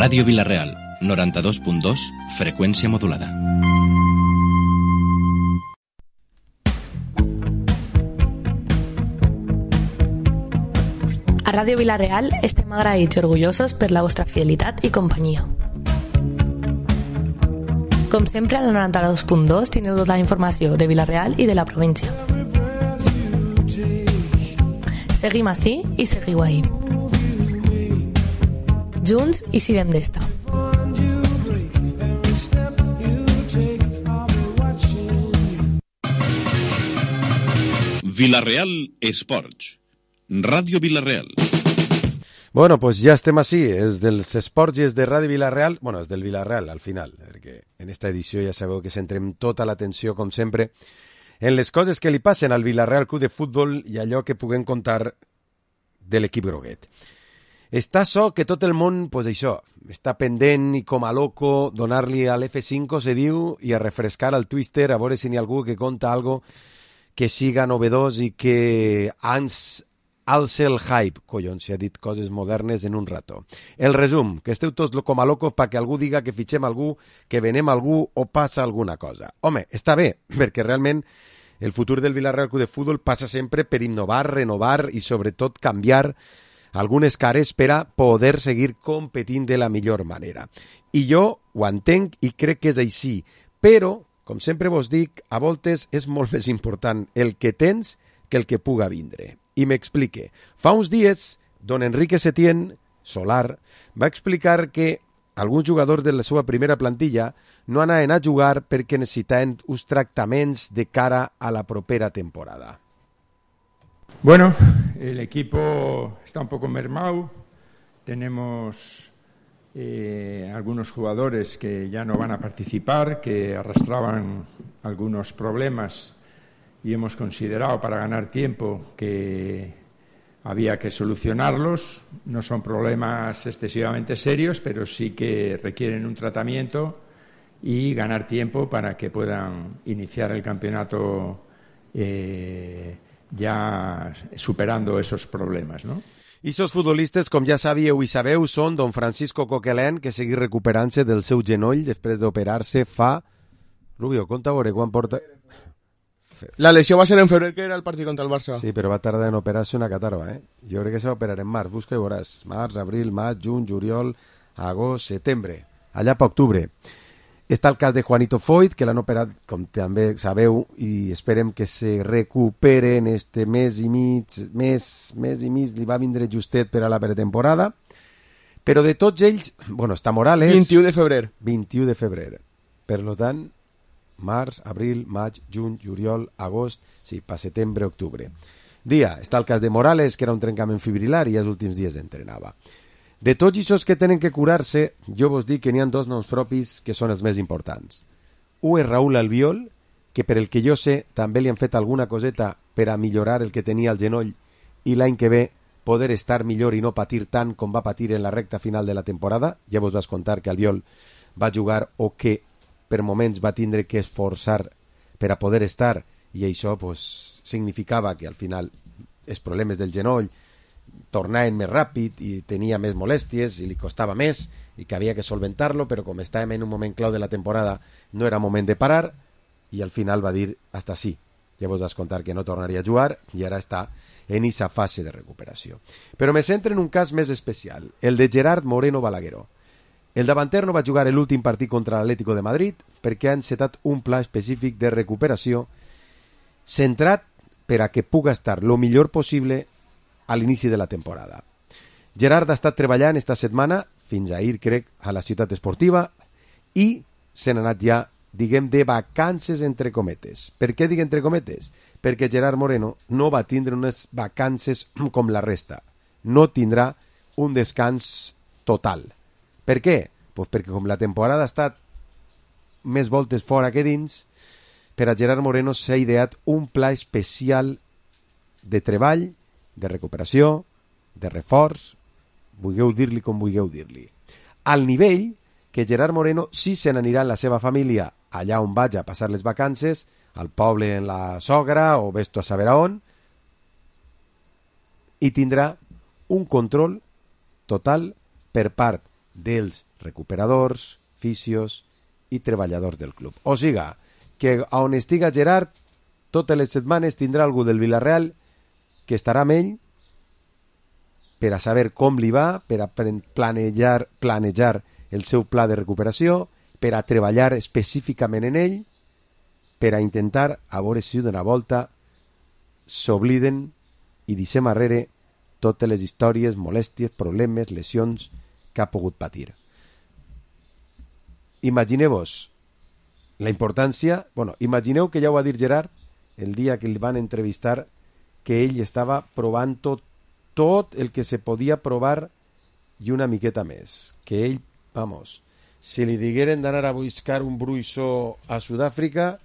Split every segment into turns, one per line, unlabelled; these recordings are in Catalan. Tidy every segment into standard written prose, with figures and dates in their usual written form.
Ràdio Vila-real, 92.2, freqüència modulada.
A Ràdio Vila-real estem agraïts i orgullosos per la vostra fidelitat i companyia. Com sempre, al 92.2 teniu tota la informació de Vila-real i de la província. Seguim ací i seguiu ahí. Junts i sirem d'esta.
Vila-real Esports. Ràdio Vila-real.
Bueno, pues ja estem així, és dels esports i és de Ràdio Vila-real, bueno, és del Vila-real al final, perquè en esta edició ja sabeu que centrem tota l'atenció, com sempre, en les coses que li passen al Vila-real Club de Futbol i allò que puguem contar de l'equip groguet. Està so que tot el món, pues això, està pendent i com a loco donar-li a l'F5, se diu, i a refrescar al Twitter, a veure si n'hi ha algú que conta algo que siga novedós i que ens alce el hype. Collons, si ha dit coses modernes en un rato. El resum, que esteu tots com a locos perquè algú diga que fitxem algú, que venem algú o passa alguna cosa. Home, està bé, perquè realment el futur del Vila-real Club de Futbol passa sempre per innovar, renovar i sobretot canviar algunes cares per a poder seguir competint de la millor manera. I jo ho entenc i crec que és així, però, com sempre vos dic, a voltes és molt més important el que tens que el que puga vindre. I m'explique. Fa uns dies, don Enrique Setién, Solar, va explicar que alguns jugadors de la seva primera plantilla no anaven a jugar perquè necessitaven uns tractaments de cara a la propera temporada.
Bueno, el equipo está un poco mermado. Tenemos algunos jugadores que ya no van a participar, que arrastraban algunos problemas y hemos considerado para ganar tiempo que había que solucionarlos. No son problemas excesivamente serios, pero sí que requieren un tratamiento y ganar tiempo para que puedan iniciar el campeonato ja superando esos problemes, no?
I sos futbolistes, com ja sabíeu i sabeu, són don Francisco Coquelin, que segueix recuperant-se del seu genoll després d'operar-se fa... Rubio, compta a veure quan porta...
La lesió va ser en febrer, que era el partit contra el Barça.
Sí, però va tardar en operar-se una catarba, eh? Jo crec que se va operar en març, busca i veuràs. Març, abril, maig, juny, juliol, agost, setembre. Allà per octubre. Està el cas de Juanito Foyt, que l'han operat, com també sabeu, i esperem que se recupere en este mes i mig, li va vindre justet per a la pretemporada. Però de tots ells, bueno, està Morales...
21 de febrer.
21 de febrer. Per tant, març, abril, maig, juny, juliol, agost, sí, per setembre, octubre. Està el cas de Morales, que era un trencament fibrilar i els últims dies entrenava. De tots aquests que tenen que curar-se, jo vos dic que n'hi ha dos noms propis que són els més importants. Un és Raúl Albiol, que per el que jo sé també li han fet alguna coseta per a millorar el que tenia al genoll i l'any que ve poder estar millor i no patir tant com va patir en la recta final de la temporada. Ja vos vas contar que Albiol va jugar o que per moments va tindre que esforçar per a poder estar i això pues, significava que al final els problemes del genoll tornaven més ràpid i tenia més molèsties i li costava més i que havia que solventar-lo, però com estàvem en un moment clau de la temporada no era moment de parar i al final va dir hasta sí. Ja vos vas contar que no tornaria a jugar i ara està en aquesta fase de recuperació. Però me centro en un cas més especial, el de Gerard Moreno Balagueró. El davanter no va jugar l'últim partit contra l'Atlético de Madrid perquè ha encetat un pla específic de recuperació centrat per a que puga estar lo millor possible a l'inici de la temporada. Gerard ha estat treballant esta setmana, fins ahir crec, a la ciutat esportiva i se n'ha anat ja, diguem, de vacances entre cometes. Per què dic entre cometes? Perquè Gerard Moreno no va tindre unes vacances com la resta. No tindrà un descans total. Per què? Pues perquè com la temporada ha estat més voltes fora que dins, per a Gerard Moreno s'ha ideat un pla especial de treball, de recuperació, de reforç, vulgueu dir-li com vulgueu dir-li. Al nivell que Gerard Moreno sí se n'anirà amb la seva família allà on vaig a passar les vacances, al poble en la sogra o vesto a saber a on, i tindrà un control total per part dels recuperadors, fisios i treballadors del club. O siga, que on estiga Gerard, totes les setmanes tindrà algú del Villarreal que estarà amb ell per a saber com li va, per a planejar el seu pla de recuperació, per a treballar específicament en ell, per a intentar, a veure si d'una volta s'obliden i deixem arrere totes les històries, molèsties, problemes, lesions que ha pogut patir. Imagineu-vos la importància... imagineu que ja ho va dir Gerard el dia que el van entrevistar, que ell estava provant tot el que se podia provar i una miqueta més. Que ell, si li digueren d'anar a buscar un bruixó a Sud-àfrica,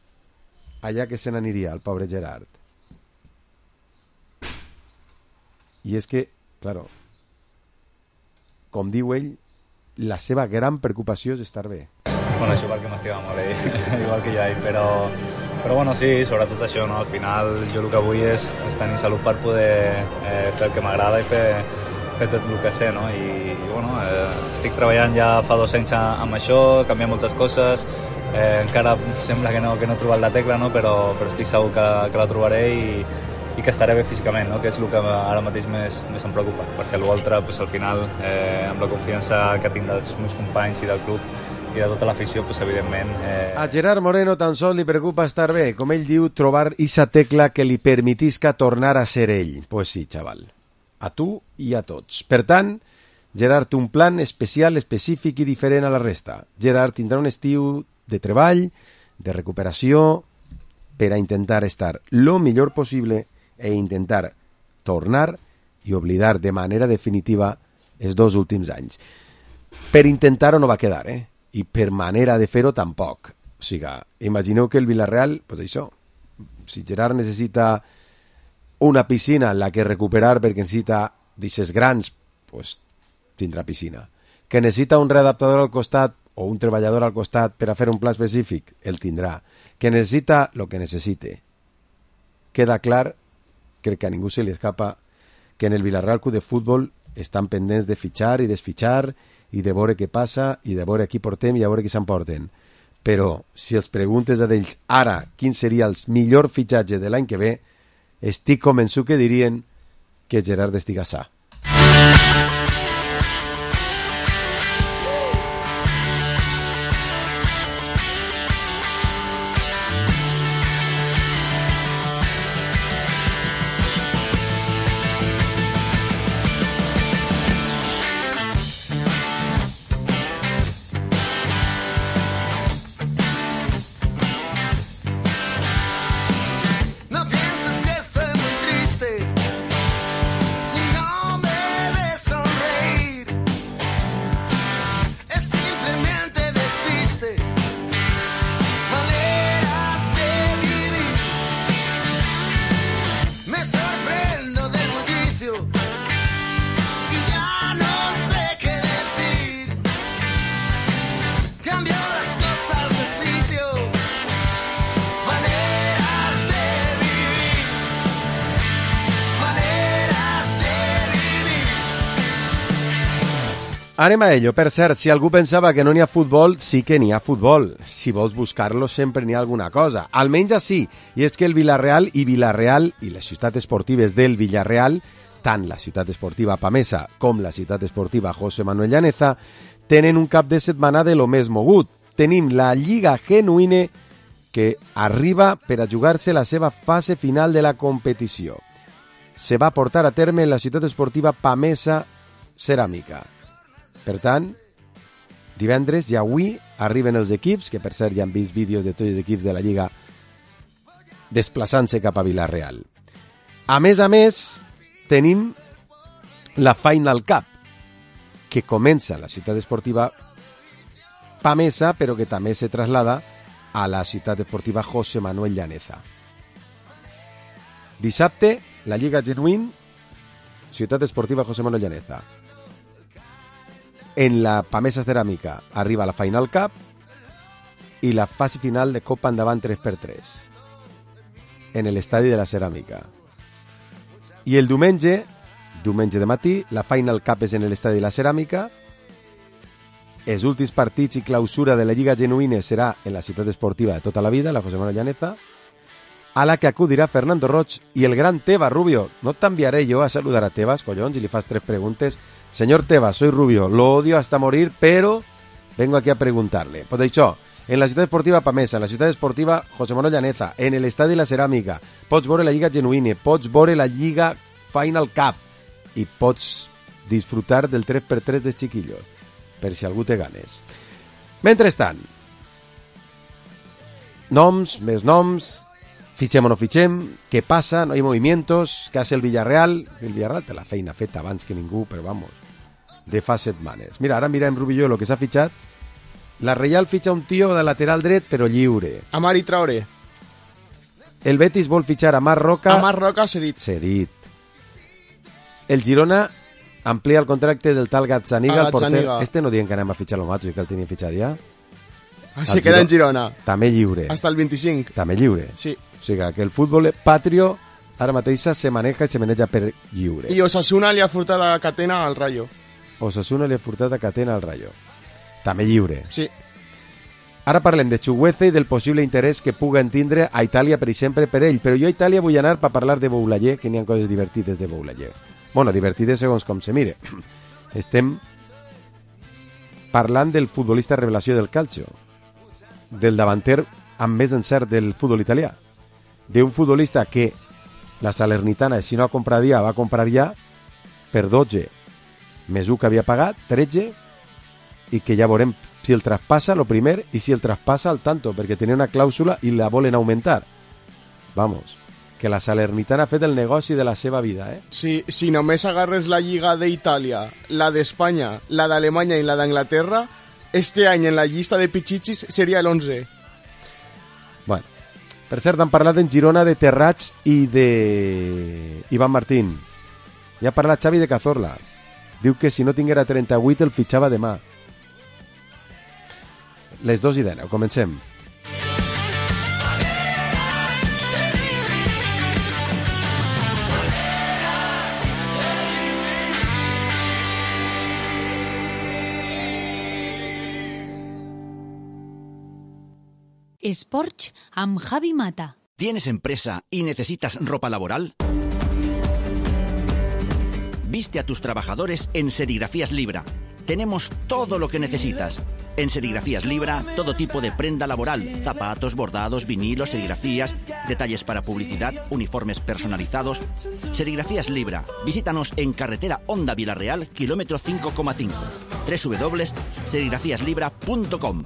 allà que se n'aniria, el pobre Gerard. I és que, claro, com diu ell, la seva gran preocupació és estar bé.
Bueno, això perquè m'estima molt igual que ja, però bueno, sí, sobretot això, no? Al final jo el que vull és tenir salut per poder fer el que m'agrada i fer tot el que sé, no? I bueno, estic treballant ja fa 2 anys amb això, canviant moltes coses, encara sembla que no he trobat la tecla, no? Però estic segur que la trobaré i que estaré bé físicament, no? Que és el que ara mateix més em preocupa, perquè l'altre, pues, al final, amb la confiança que tinc dels meus companys i del club i de tota l'afició, pues, evidentment...
A Gerard Moreno tan sols li preocupa estar bé, com ell diu, trobar esa tecla que li permetisca tornar a ser ell. Pues sí, xaval, a tu i a tots. Per tant, Gerard té un plan especial, específic i diferent a la resta. Gerard tindrà un estiu de treball, de recuperació, per a intentar estar lo millor possible e intentar tornar i oblidar de manera definitiva els 2 últims anys. Per intentar-ho no va quedar, i per manera de fer-ho tampoc. O sigui, imagineu que el Villarreal, pues això, si Gerard necessita una piscina en la que recuperar perquè necessita d'aixes grans, pues tindrà piscina. Que necessita un readaptador al costat o un treballador al costat per a fer un pla específic, el tindrà. Que necessita el que necessite. Queda clar, crec que a ningú se li escapa, que en el Villarreal Club de Futbol estan pendents de fitxar i desfitxar i de veure què passa i de veure qui portem i a veure qui s'emporten. Però si els preguntes a d'ells ara quin seria el millor fitxatge de l'any que ve, estic convençut que dirien que Gerard estiga sa. Anem a ello. Per cert, si algú pensava que no n'hi ha futbol, sí que n'hi ha futbol. Si vols buscar-lo, sempre n'hi ha alguna cosa. Almenys així. I és que el Villarreal i les ciutats esportives del Villarreal, tant la ciutat esportiva Pamesa com la ciutat esportiva José Manuel Llaneza, tenen un cap de setmana de lo més mogut. Tenim la Lliga Genuïne que arriba per a jugar-se la seva fase final de la competició. Se va portar a terme en la ciutat esportiva Pamesa Ceràmica. Per tant, divendres i avui arriben els equips, que per cert ja han vist vídeos de tots els equips de la Lliga desplaçant-se cap a Villarreal. A més, tenim la Final Cup, que comença a la ciutat esportiva Pamesa, però que també se traslada a la ciutat esportiva José Manuel Llaneza. Dissabte, la Lliga Genuïne, ciutat esportiva José Manuel Llaneza. En la Pamesa Ceràmica arriba la Final Cup i la fase final de Copa Endavant 3x3 en l'estadi de la Ceràmica. I el diumenge de matí, la Final Cup és en l'estadi de la Ceràmica els últims partits i clausura de la Lliga Genuïne serà en la ciutat esportiva de tota la vida, la José Manuel Llaneza, a la que acudirà Fernando Roig y el gran Tebas Rubio. No te enviaré yo a saludar a Tebas, collons, y le fas 3 preguntes. Señor Tebas, soy Rubio, lo odio hasta morir, pero vengo aquí a preguntarle. Pues això, en la ciutat esportiva Pamesa, en la ciutat esportiva José Manuel Llaneza, en el estadi La Ceràmica, pots veure la Lliga Genuïne, pots veure la Lliga Final Cup i pots disfrutar del 3x3 dels chiquillos, per si algú té ganes. Mentrestant, noms, més noms, fitxem o no fitxem, què passa, no hi ha movimientos, què hace el Villarreal? El Villarreal té la feina feta abans que ningú, però vamos, de fa setmanes. Mira, ara mirem, Rubio, el que s'ha fitxat. La Reial fitxa un tio de lateral dret, però lliure.
Amari Traoré.
El Betis vol fitxar a Marc Roca.
A Marc Roca cedit.
Cedit. El Girona amplia el contracte del tal Gazzaniga, el porter. Este no diuen que anem a fitxar lo mato i que el tenien fitxat ja.
Se queda en Girona.
També lliure.
Hasta el 25.
També lliure.
Sí.
O sigui que el futbol patrio ara mateix se maneja i se maneja per lliure.
I Osasuna li ha furtat a Catena al Rayo.
Osasuna li ha furtat a Catena al Rayo. També lliure.
Sí.
Ara parlem de Chugueza i del possible interès que puguen tindre a Itàlia, per exemple, per ell. Però jo a Itàlia vull anar per parlar de Boulaye, que n'hi ha coses divertides de Boulaye. Bueno, divertides segons com se mire. Estem parlant del futbolista revelació del calcio, del davanter amb més encert del futbol italià, d'un futbolista que la Salernitana, si no ha comprat ja, va comprar ja per 12 més 1 que havia pagat, 13, i que ja veurem si el traspassa, lo primer, i si el traspassa al tanto, perquè tenia una clàusula i la volen augmentar. Vamos, que la Salernitana ha fet el negoci de la seva vida, eh?
Si només agarres la Lliga d'Itàlia, la d'Espanya, la d'Alemanya i la d'Anglaterra, este any en la llista de pichichis seria l'11.
Bueno, per cert, han parlat en Girona de Terrats i de Iván Martín. Ja ha parlat Xavi de Cazorla. Diu que si no tinguera 38 el fitxava demà. Les 2:19, comencem.
Esports amb Javi Mata.
¿Tienes empresa y necesitas ropa laboral? Viste a tus trabajadores en Serigrafías Libra. Tenemos todo lo que necesitas. En Serigrafías Libra, todo tipo de prenda laboral, zapatos, bordados, vinilos, serigrafías, detalles para publicidad, uniformes personalizados. Serigrafías Libra. Visítanos en carretera Honda Villarreal, kilómetro 5,5. www.serigrafiaslibra.com.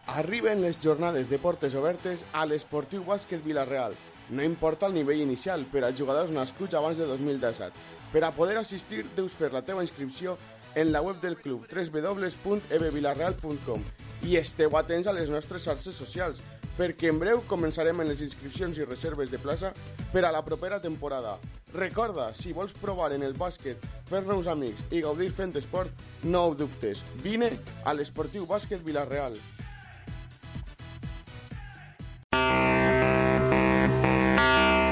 Arriben les jornades de portes obertes a l'Esportiu Bàsquet Vila-real. No importa el nivell inicial per a jugadors nascuts abans de 2017. Per a poder assistir, deus fer la teva inscripció en la web del club www.ebvilarreal.com i esteu atents a les nostres xarxes socials, perquè en breu començarem en les inscripcions i reserves de plaça per a la propera temporada. Recorda, si vols provar en el bàsquet, fer-nos amics i gaudir fent esport, no ho dubtes. Vine a l'Esportiu Bàsquet Vila-real.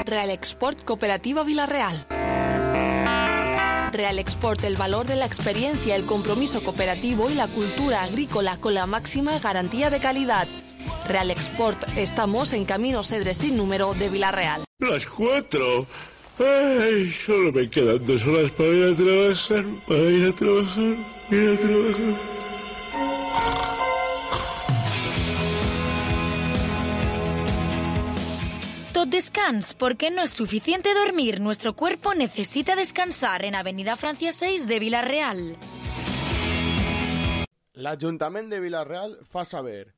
Real Export Cooperativa Vila-real. Real Export, el valor de la experiencia, el compromiso cooperativo y la cultura agrícola con la máxima garantía de calidad. Real Export, estamos en Camino Cedres sin número de Vila-real.
Las 4. Ay, solo me quedan 2 horas para ir a trabajar,
Tot descans, porque no es suficiente dormir. Nuestro cuerpo necesita descansar en Avenida Francia 6 de Vila-real.
L'Ajuntament de Vila-real fa saber.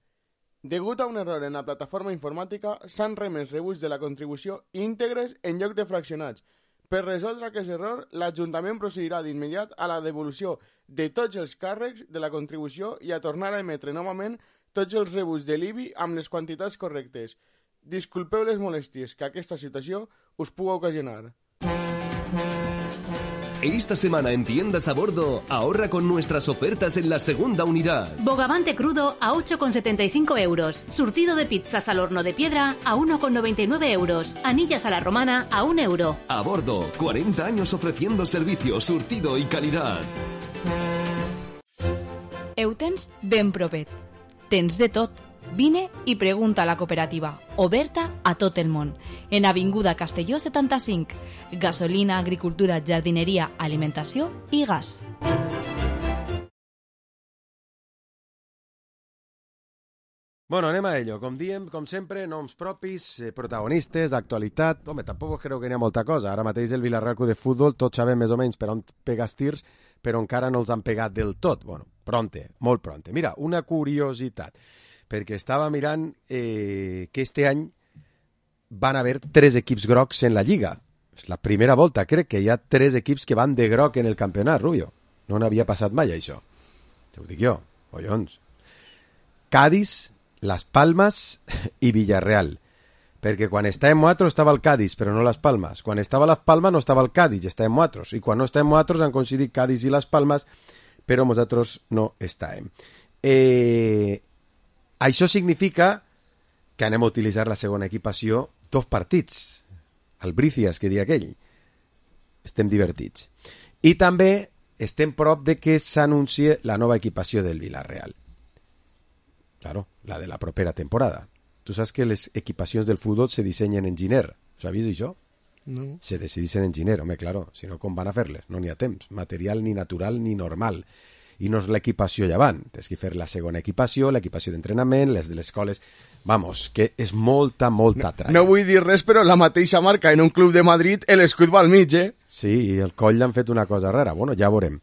Degut a un error en la plataforma informàtica, s'han remès rebuts de la contribució íntegres en lloc de fraccionats. Per resoldre aquest error, l'Ajuntament procedirà d'immediat a la devolució de tots els càrrecs de la contribució i a tornar a emetre novament tots els rebuts de l'IBI amb les quantitats correctes. Disculpeu les molèsties que aquesta situació us puga ocasionar.
Esta semana en Tiendas a Bordo, ahorra con nuestras ofertas en la segunda unidad.
Bogavante crudo a 8,75 euros. Surtido de pizzas al horno de piedra a 1,99 euros. Anillas a la romana a 1 euro.
A Bordo, 40 años ofreciendo servicio, surtido y calidad.
Ho tens ben propet. Tens de tot. Vine i pregunta a la cooperativa, oberta a tot el món, en Avinguda Castelló 75. Gasolina, agricultura, jardineria, alimentació i gas.
Bueno, anem a ello. Com diem, com sempre, noms propis, protagonistes, actualitat. Home, tampoc creu que n'hi ha molta cosa. Ara mateix el Villarreal Club de Futbol, tots sabem més o menys per on pega els tirs, però encara no els han pegat del tot. Bueno, pronte, molt pronte. Mira, una curiositat, perquè estava mirant que este any van haver 3 equips grocs en la Lliga. És la primera volta, crec que hi ha 3 equips que van de groc en el campionat, Rubio. No n'havia passat mai, això. Te ho dic jo, collons. Cádiz, Las Palmas i Villarreal. Perquè quan estàvem nosaltres estava el Cádiz, però no Las Palmas. Quan estava Las Palmas no estava el Cádiz, estàvem nosaltres. I quan no estàvem nosaltres han coincidit Cádiz i Las Palmas, però nosaltres no estàvem. Això significa que anem a utilitzar la segona equipació 2 partits. Albricias, que dia aquell. Estem divertits. I també estem prop de que s'anuncie la nova equipació del Villarreal. Claro, la de la propera temporada. Tu saps que les equipacions del futbol se dissenyen en Giner. Ho sabies, això?
No.
Se decideixen en Giner, home, claro. Si no, com van a fer-les? No n'hi ha temps. Material ni natural ni normal. I no és l'equipació llevant. Tens que fer la segona equipació, l'equipació d'entrenament, les de les escoles. Vamos, que és molta tralla.
No vull dir res, però la mateixa marca en un club de Madrid, l'escut va al mig, eh?
Sí, i el coll l'han fet una cosa rara. Bueno, ja veurem.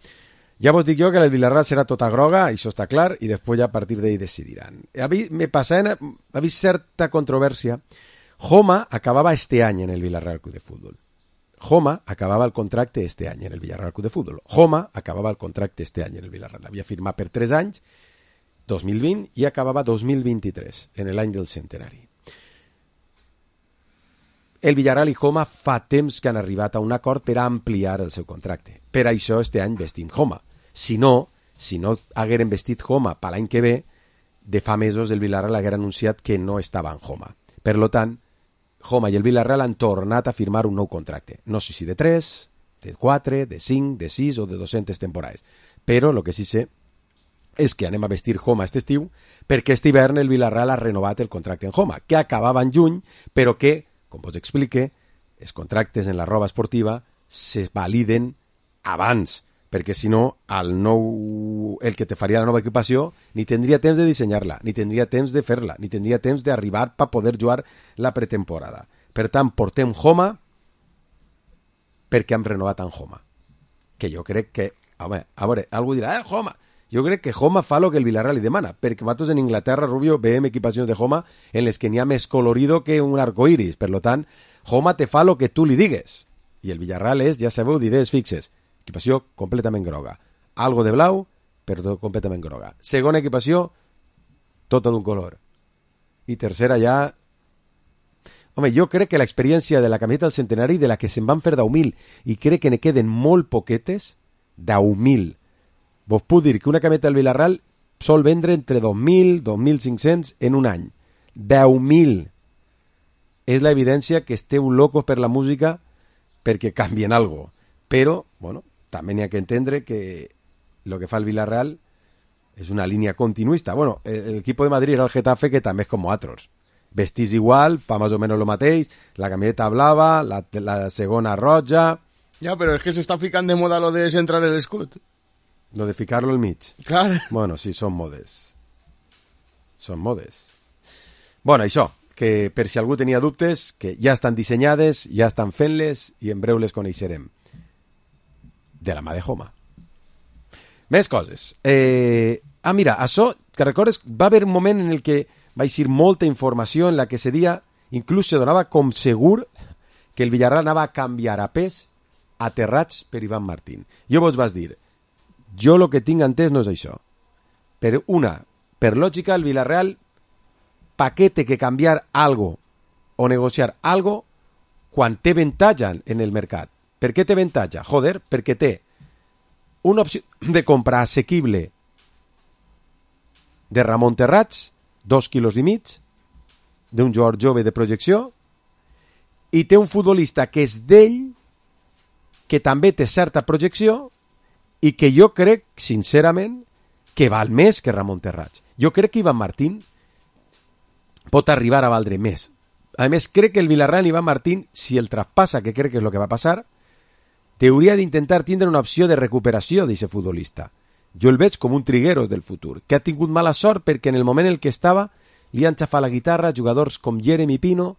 Ja vos dic jo que el Villarreal serà tota groga, això està clar, i després ja a partir d'ahí decidiran. Ha vist certa controvèrsia. Joma acabava este any en el Villarreal Club de Futbol. Joma acabava el contracte este any en el Villarreal Club de Futbol. Joma acabava el contracte este any en el Villarreal. Havia firmat per 3 anys, 2020, i acabava 2023, en l'any del centenari. El Villarreal i Joma fa temps que han arribat a un acord per a ampliar el seu contracte. Per això este any vestim Joma. Si no hagueren vestit Joma per l'any que ve, de fa mesos el Villarreal haguera anunciat que no estava en Joma. Per tant, Joma i el Villarreal han tornat a firmar un nou contracte. No sé si de 3, de 4, de 5, de 6 o de 200 temporades. Però el que sí sé és que anem a vestir Joma aquest estiu perquè aquest hivern el Villarreal ha renovat el contracte en Joma, que acabava en juny, però que, com vos explique, els contractes en la roba esportiva se validen abans, perquè si no el que te faria la nova equipació ni tindria temps de dissenyar-la, ni tindria temps de fer-la, ni tindria temps d'arribar per poder jugar la pretemporada. Per tant, portem Joma perquè hem renovat en Joma. Que jo crec que, home, a veure, algú dirà, Joma! Jo crec que Joma fa el que el Villarreal li demana, perquè nosaltres en Inglaterra, Rubio, veiem equipacions de Joma en les que n'hi ha més colorido que un arcoiris. Per tant, Joma te fa el que tu li digues. I el Villarreal és, ja sabeu, d'idees fixes. Equipació completament groga. Algo de blau, però completament groga. Segona equipació, tota d'un color. I tercera ja... Home, jo crec que l'experiència de la camiseta del centenari, de la que se'n van fer 10.000, i crec que ne queden molt poquetes, 10.000. Vos puc dir que una camiseta del Villarreal sol vendre entre 2.000 i 2.500 en un any. 10.000. És l'evidència que esteu locos per la música perquè canvien algo. Però, bueno, també n'hi ha que entendre que el que fa el Villarreal és una línia continuista. Bueno, el equipo de Madrid era el Getafe, que també és com nosaltres. Vestís igual, fa més o menys el mateix, la camiseta blava, la segona roja...
Ja, però és que s'està ficant de moda lo de centrar l'escut.
Lo de ficar-lo al mig.
Clar.
Bueno, sí, són modes. Són modes. Bueno, això, que per si algú tenia dubtes, que ja estan dissenyades, ja estan fent-les i en breu les coneixerem. De la mà de Joma. Més coses. Mira, això, que recordes, va haver un moment en el que va eixir molta informació en la que se dia, inclús se donava com segur que el Villarreal anava a canviar a pes aterrats per Iván Martín. Jo vos vas dir, jo el que tinc entès no és això. Per lògica, el Villarreal paquete que canviar algo o negociar algo quan té avantatge en el mercat. Per què té avantatge? Joder, perquè té una opció de compra assequible de Ramon Terrats, 2,5 quilos, d'un jugador jove de projecció, i té un futbolista que és d'ell, que també té certa projecció, i que jo crec, sincerament, que val més que Ramon Terrats. Jo crec que Iván Martín pot arribar a valdre més. A més, crec que el Villarreal Iván Martín, si el traspassa, que crec que és el que va passar, hauria d'intentar tindre una opció de recuperació d'aquest futbolista. Jo el veig com un Trigueros del futur, que ha tingut mala sort perquè en el moment en el que estava li han xafat la guitarra jugadors com Jeremy Pino,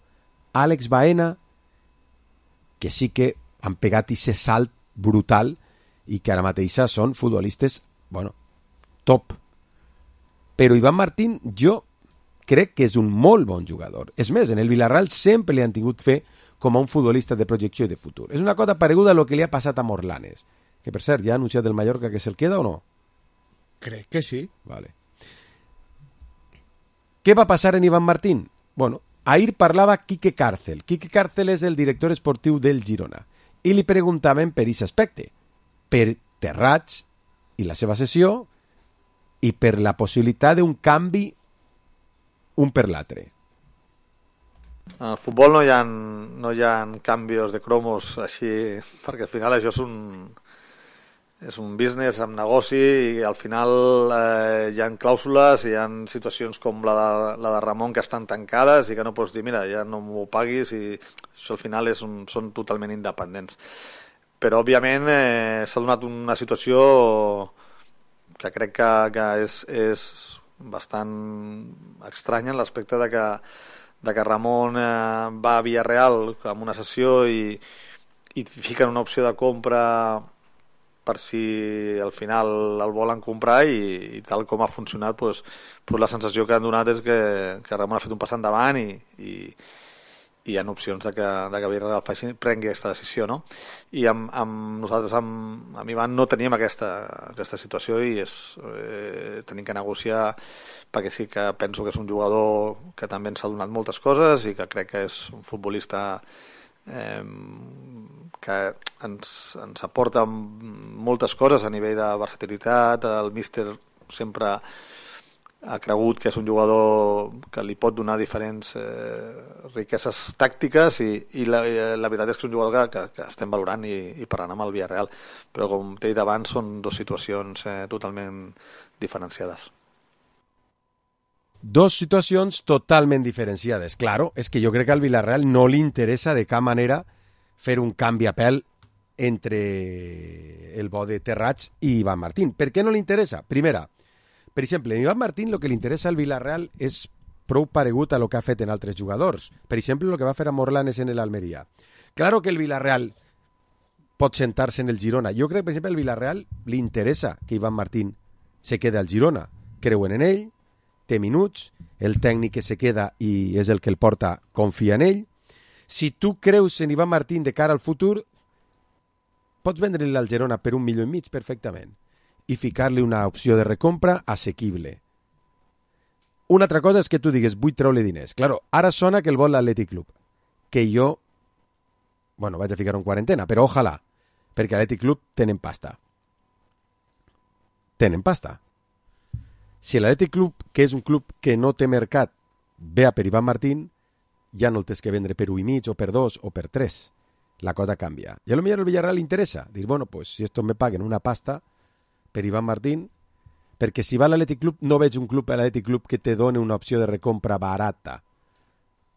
Àlex Baena, que sí que han pegat aquest salt brutal i que ara mateixa són futbolistes, bueno, top. Però Iván Martín, jo crec que és un molt bon jugador. És més, en el Villarreal sempre li han tingut fe com a un futbolista de projecció i de futur. És una cosa pareguda a lo que li ha passat a Morlanes, que per cert, ja ha anunciat el Mallorca que se'l queda o no?
Crec que sí.
Vale. Què va passar en Iván Martín? Bueno, ahir parlava Quique Cárcel. Quique Cárcel és el director esportiu del Girona. I li preguntaven per aquest aspecte, per Terrats i la seva sessió i per la possibilitat d'un canvi un per l'altre.
En el futbol no hi ha canvis de cromos així, perquè al final això és un business amb negoci i al final hi ha clàusules, hi ha situacions com la de Ramon que estan tancades i que no pots dir, mira, ja no m'ho paguis, i això al final són totalment independents. Però òbviament s'ha donat una situació que crec que és bastant estranya en l'aspecte de que Ramon va a Villarreal amb una sessió i fiquen una opció de compra per si al final el volen comprar i tal com ha funcionat, pues la sensació que han donat és que Ramon ha fet un pas endavant i hi ha opcions de que Villarreal prengui aquesta decisió, no? I nosaltres amb Ivan no teníem aquesta situació i tenim que negociar, perquè sí que penso que és un jugador que també ens ha donat moltes coses i que crec que és un futbolista que ens aporta moltes coses a nivell de versatilitat. El míster sempre ha cregut que és un jugador que li pot donar diferents riqueses tàctiques i la veritat és que és un jugador que estem valorant i parlant amb el Villarreal, però com t'he dit abans són dues situacions totalment diferenciades.
Dos situacions totalment diferenciades. Claro, és que jo crec que al Villarreal no li interessa de cap manera fer un canvi a pèl entre el bo de Terrats i Iván Martín. Per què no li interessa? Primera, per exemple, en Iván Martín el que li interessa al Villarreal és prou paregut a lo que ha fet en altres jugadors. Per exemple, el que va fer a Morlanes en l'Almeria. Claro que el Villarreal pot sentar-se en el Girona. Jo crec que, per exemple, al Villarreal li interessa que Iván Martín se quede al Girona. Creuen en ell, té minuts, el tècnic que se queda i és el que el porta confia en ell. Si tu creus en Iván Martín de cara al futur, pots vendre-li al Girona per 1,5 milions perfectament i ficar-li una opció de recompra assequible. Una altra cosa és que tu digues, vull treure diners. Claro, ara sona que el vol l'Atlètic Club, que jo, bueno, vaig a ficar en quarantena, però ojalà, perquè l'Atlètic Club tenen pasta. Tenen pasta. Si l'Atlètic Club, que és un club que no té mercat, ve a per Iván Martín, ja no el tens que vendre per 1,5 o per 2 o per 3. La cosa canvia. I a lo millor el Villarreal li interessa. Dir, bueno, pues si esto me paguen una pasta per Iván Martín, perquè si va a l'Atlètic Club, no veig un club a l'Atlètic Club que te doni una opció de recompra barata.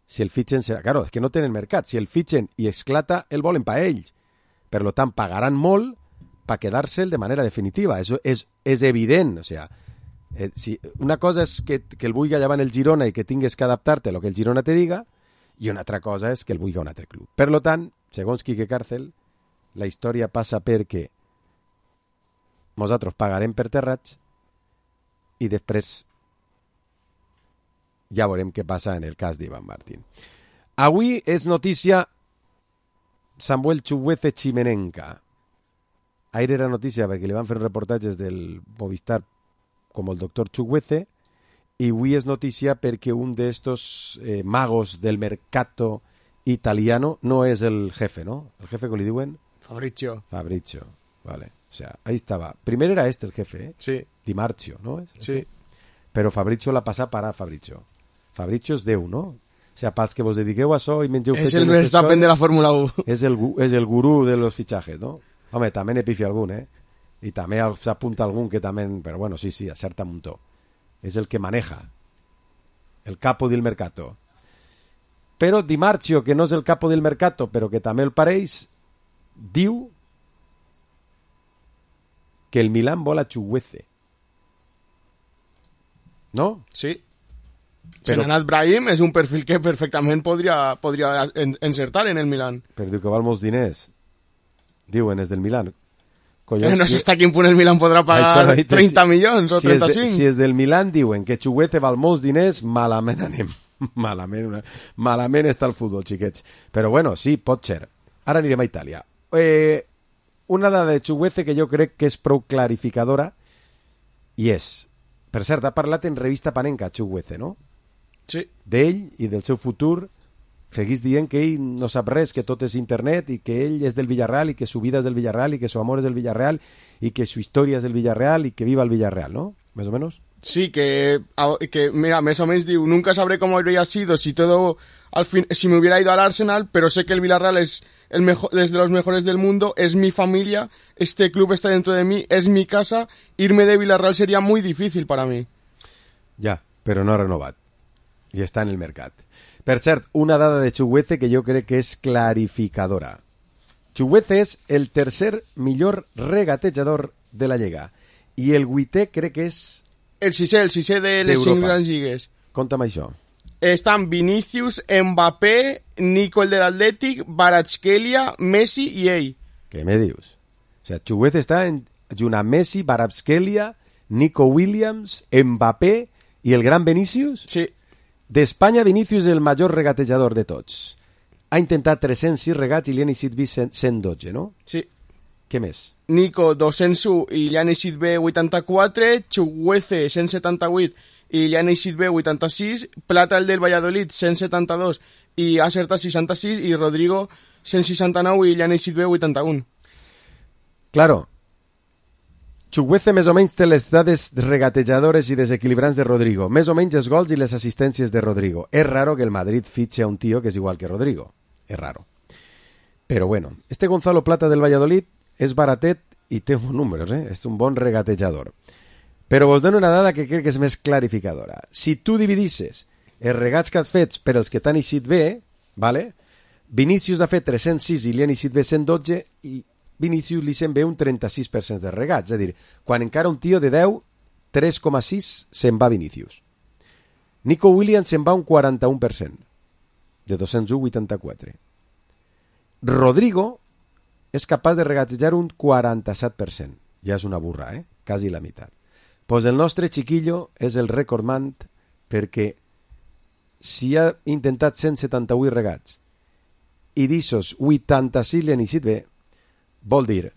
Si el fitxen serà... Claro, és que no tenen mercat. Si el fitxen i esclata, el volen pa ells. Per lo tant, pagaran molt per quedar-se'l de manera definitiva. Eso és evident. O sea, si una cosa és que el vulgui llevar en el Girona i que tingues que adaptar-te a lo que el Girona te diga, i una altra cosa és que el vulgui un altre club. Per lo tant, segons Quique Cárcel, la història passa perquè nosaltres pagarem per Terrats i després ja veurem què passa en el cas d'Iván Martín. Avui és notícia Samuel Chukwueze Chimenenka. Ahir era notícia perquè li van fer reportatges del Movistar com el doctor Chukwueze i avui és notícia perquè un d'estos magos del mercato italiano no es el jefe, ¿no? El jefe, ¿cómo le diuen?
Fabrizio,
vale. O sea, ahí estaba. Primero era este el jefe, ¿eh?
Sí.
Di Marzio, ¿no?
Sí.
Però Fabrizio la passa para Fabrizio. Fabrizio és Déu, no? O sea, pels que vos dediqueu a això i mengeu...
És el Verstappen de la Fórmula 1.
És el gurú de los fichajes, ¿no? Home, també n'hi pifia algun, ¿eh? Y también se apunta algún que también, pero bueno, sí, acerta un montón. Es el que maneja, el capo del mercato. Però Di Marzio, que no és el capo del mercato, però que també el pareix, diu que el Milan vol a Chukwueze. ¿No?
Sí. Senanat Brahim és un perfil que perfectament podria encertar en el Milan.
Però diu que val molts diners. Diuen, és del Milan.
Collons, no sé hasta quin punt el Milan podrà pagar 30 milions o 35.
Si és del Milan, diuen que Chukwueze val molts diners, malament anem. Malament està el futbol, xiquets. Però bueno, sí, pot ser. Ara anirem a Itàlia. Una dada de Chukwueze que jo crec que és prou clarificadora i és, per cert, ha parlat en revista Panenka Chukwueze, no?
Sí.
D'ell i del seu futur, seguís dient que ell no sap res, que tot és internet i que ell és del Villarreal i que su vida és del Villarreal i que su amor és del Villarreal i que su història és del Villarreal i que viva el Villarreal, ¿no? Más o menos.
Sí, que mira, más o menos digo, nunca sabré cómo habría sido si todo si me hubiera ido al Arsenal, pero sé que el Villarreal es de los mejores del mundo, es mi familia, este club está dentro de mí, es mi casa, irme de Villarreal sería muy difícil para mí.
Ja, però no ha renovat. I està en el mercat. Per cert, una dada de Chukwueze que jo crec que és clarificadora. Chukwueze és el tercer millor regatejador de la Lliga. I el 8è crec que és...
El sisè de les 5 grans lligues.
Conta'm això.
Estan Vinícius, Mbappé, Nico el de l'Atlètic, Kvaratskhelia, Messi i ell.
Què me dius? O sea, Chukwueze està junt a Messi, Kvaratskhelia, Nico Williams, Mbappé i el gran Vinícius?
Sí.
D'Espanya, Vinícius és el major regatejador de tots. Ha intentat 306 regats i li han eixit 112, no?
Sí.
Què més?
Nico 201 i li han eixit bé 84, Chukwueze 178 i li han eixit bé 86, Plata el del Valladolid 172 i ha acertat 66 i Rodrigo 169 i li han eixit bé 81.
Claro, Chukwueze més o menys té les dades regatejadores i desequilibrants de Rodrigo, més o menys els gols i les assistències de Rodrigo. És raro que el Madrid fitxe a un tío que és igual que Rodrigo, és raro. Però bueno, este Gonzalo Plata del Valladolid és baratet i té bons números, és un bon regatejador. Però vos dono una dada que crec que és més clarificadora. Si tu dividisses els regats que has fet per els que t'han eixit bé, vale? Vinícius ha fet 306 i li han eixit bé 112 i Vinícius li se'n ve un 36% de regats. És a dir, quan encara un tio de 10, 3,6 se'n va Vinícius. Nico Williams se'n va un 41%, de 201,84. Rodrigo és capaç de regatejar un 47%. Ja és una burra, quasi la meitat. Pues el nostre chiquillo és el recordman perquè si ha intentat 178 regats i d'ixos 86 li han eixit bé, vol dir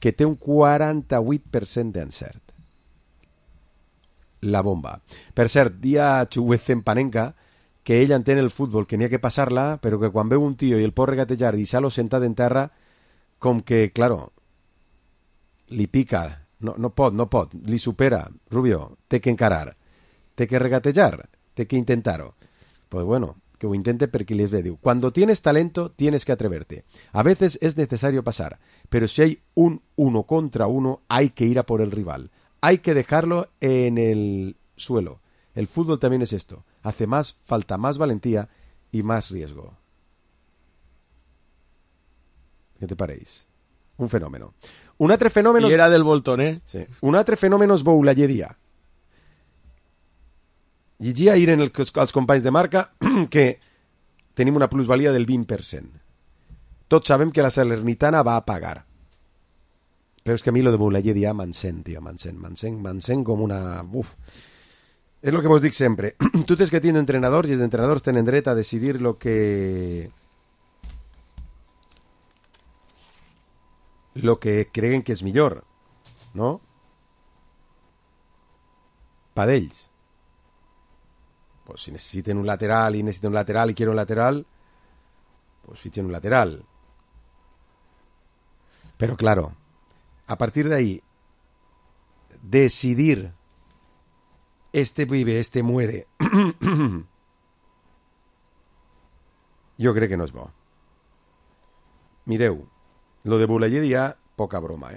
que té un 48% d'encert. La bomba. Per cert, dia Chukwueze en Panenka que ell entén el futbol, que n'hi ha que passar-la, però que quan veu un tio i el pot regatejar i deixar-lo sentat en terra, com que, claro, li pica, no pot, li supera. Rubio, té que encarar, té que regatejar, té que intentar-ho. Pues bueno, que ho intente perquè li es ve. Diu, cuando tienes talento, tienes que atreverte. A veces es necesario pasar, pero si hay un 1 contra 1, hay que ir a por el rival. Hay que dejarlo en el suelo. El fútbol también es esto. Falta más valentía y más riesgo. Què te pareix? Un fenòmeno. Un altre fenòmeno...
I era del Bolton,
Sí. Un altre fenòmeno és Boulayedia. Llegia ahir als companys de marca que tenim una plusvalia del 20%. Tots sabem que la Salernitana va a pagar. Però és que a mi lo de Boulayedia m'encén, tio, m'encén com una... Uf. És el que vos dic sempre. Tu tens que tindre entrenadors i els entrenadors tenen dret a decidir lo que creguen que és millor, no? Pa d'ells. Pues si necessiten un lateral i quiero un lateral, pues fichen un lateral. Pero claro, a partir de ahí, decidir este vive, este muere, jo crec que no és bo. Mireu, lo de Boulayedia, poca broma,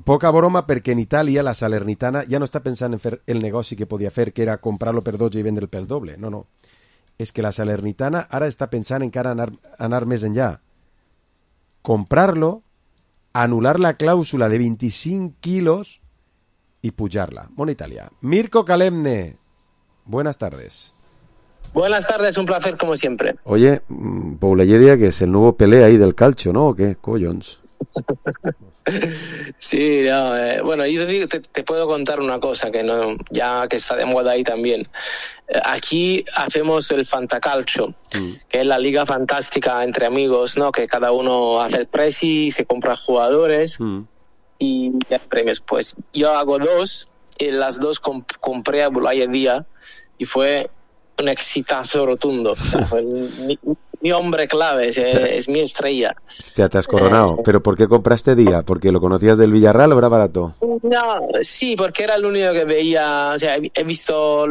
poca broma perquè en Itàlia la Salernitana ja no està pensant en fer el negoci que podia fer, que era comprar-lo per 12 i vendre'l pel doble. No. És que la Salernitana ara està pensant encara anar més enllà. Comprar-lo, anular la clàusula de 25 quilos y pujarla. Mona Italia. Mirko Kalemne, buenas tardes.
Buenas tardes, un placer como siempre.
Oye, Boulaye que es el nuevo Pelé ahí del calcio, ¿no? ¿O qué? Collons.
Sí, no, bueno, yo te puedo contar una cosa que no, ya que está de moda ahí también. Aquí hacemos el Fantacalcio, que es la liga fantástica entre amigos, ¿no? Que cada uno hace el presi, se compra jugadores y hay premios. Pues yo hago 2 y las 2 compré a Boulaye Díaz y fue un exitazo rotundo. O sea, fue mi hombre clave, es mi estrella.
Te has coronado. ¿Pero por qué compraste Díaz? ¿Porque lo conocías del Villarreal o era barato?
No, sí, porque era el único que veía, o sea, lo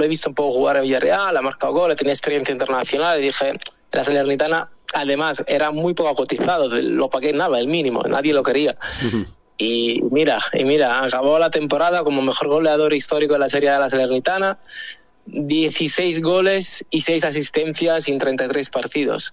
he visto un poco jugar en Villarreal, ha marcado goles, tenía experiencia internacional y dije, la Salernitana, además, era muy poco cotizado, lo pagué nada, el mínimo, nadie lo quería. Y mira, acabó la temporada como mejor goleador histórico de la Serie de la Salernitana, 16 goles y 6 asistencias en 33 partidos.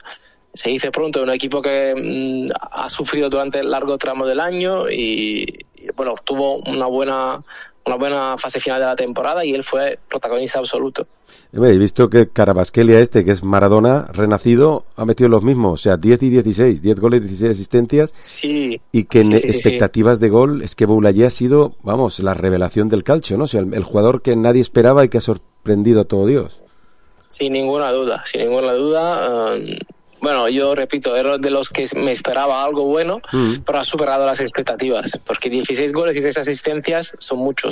Se dice pronto, un equipo que ha sufrido durante el largo tramo del año y bueno, tuvo una buena fase final de la temporada y él fue protagonista absoluto.
He visto que Carabasquelia que es Maradona renacido, ha metido los mismos, o sea, 10 y 16, 10 goles, 16 asistencias.
Sí.
Y que en expectativas de gol es que Boulaye ha sido, vamos, la revelación del calcio, ¿no? O sea, el jugador que nadie esperaba y que ha sorprendido a todo Dios.
Sin ninguna duda. Bueno, yo repito, era de los que me esperaba algo bueno, pero ha superado las expectativas, porque 16 goles y 6 asistencias son mucho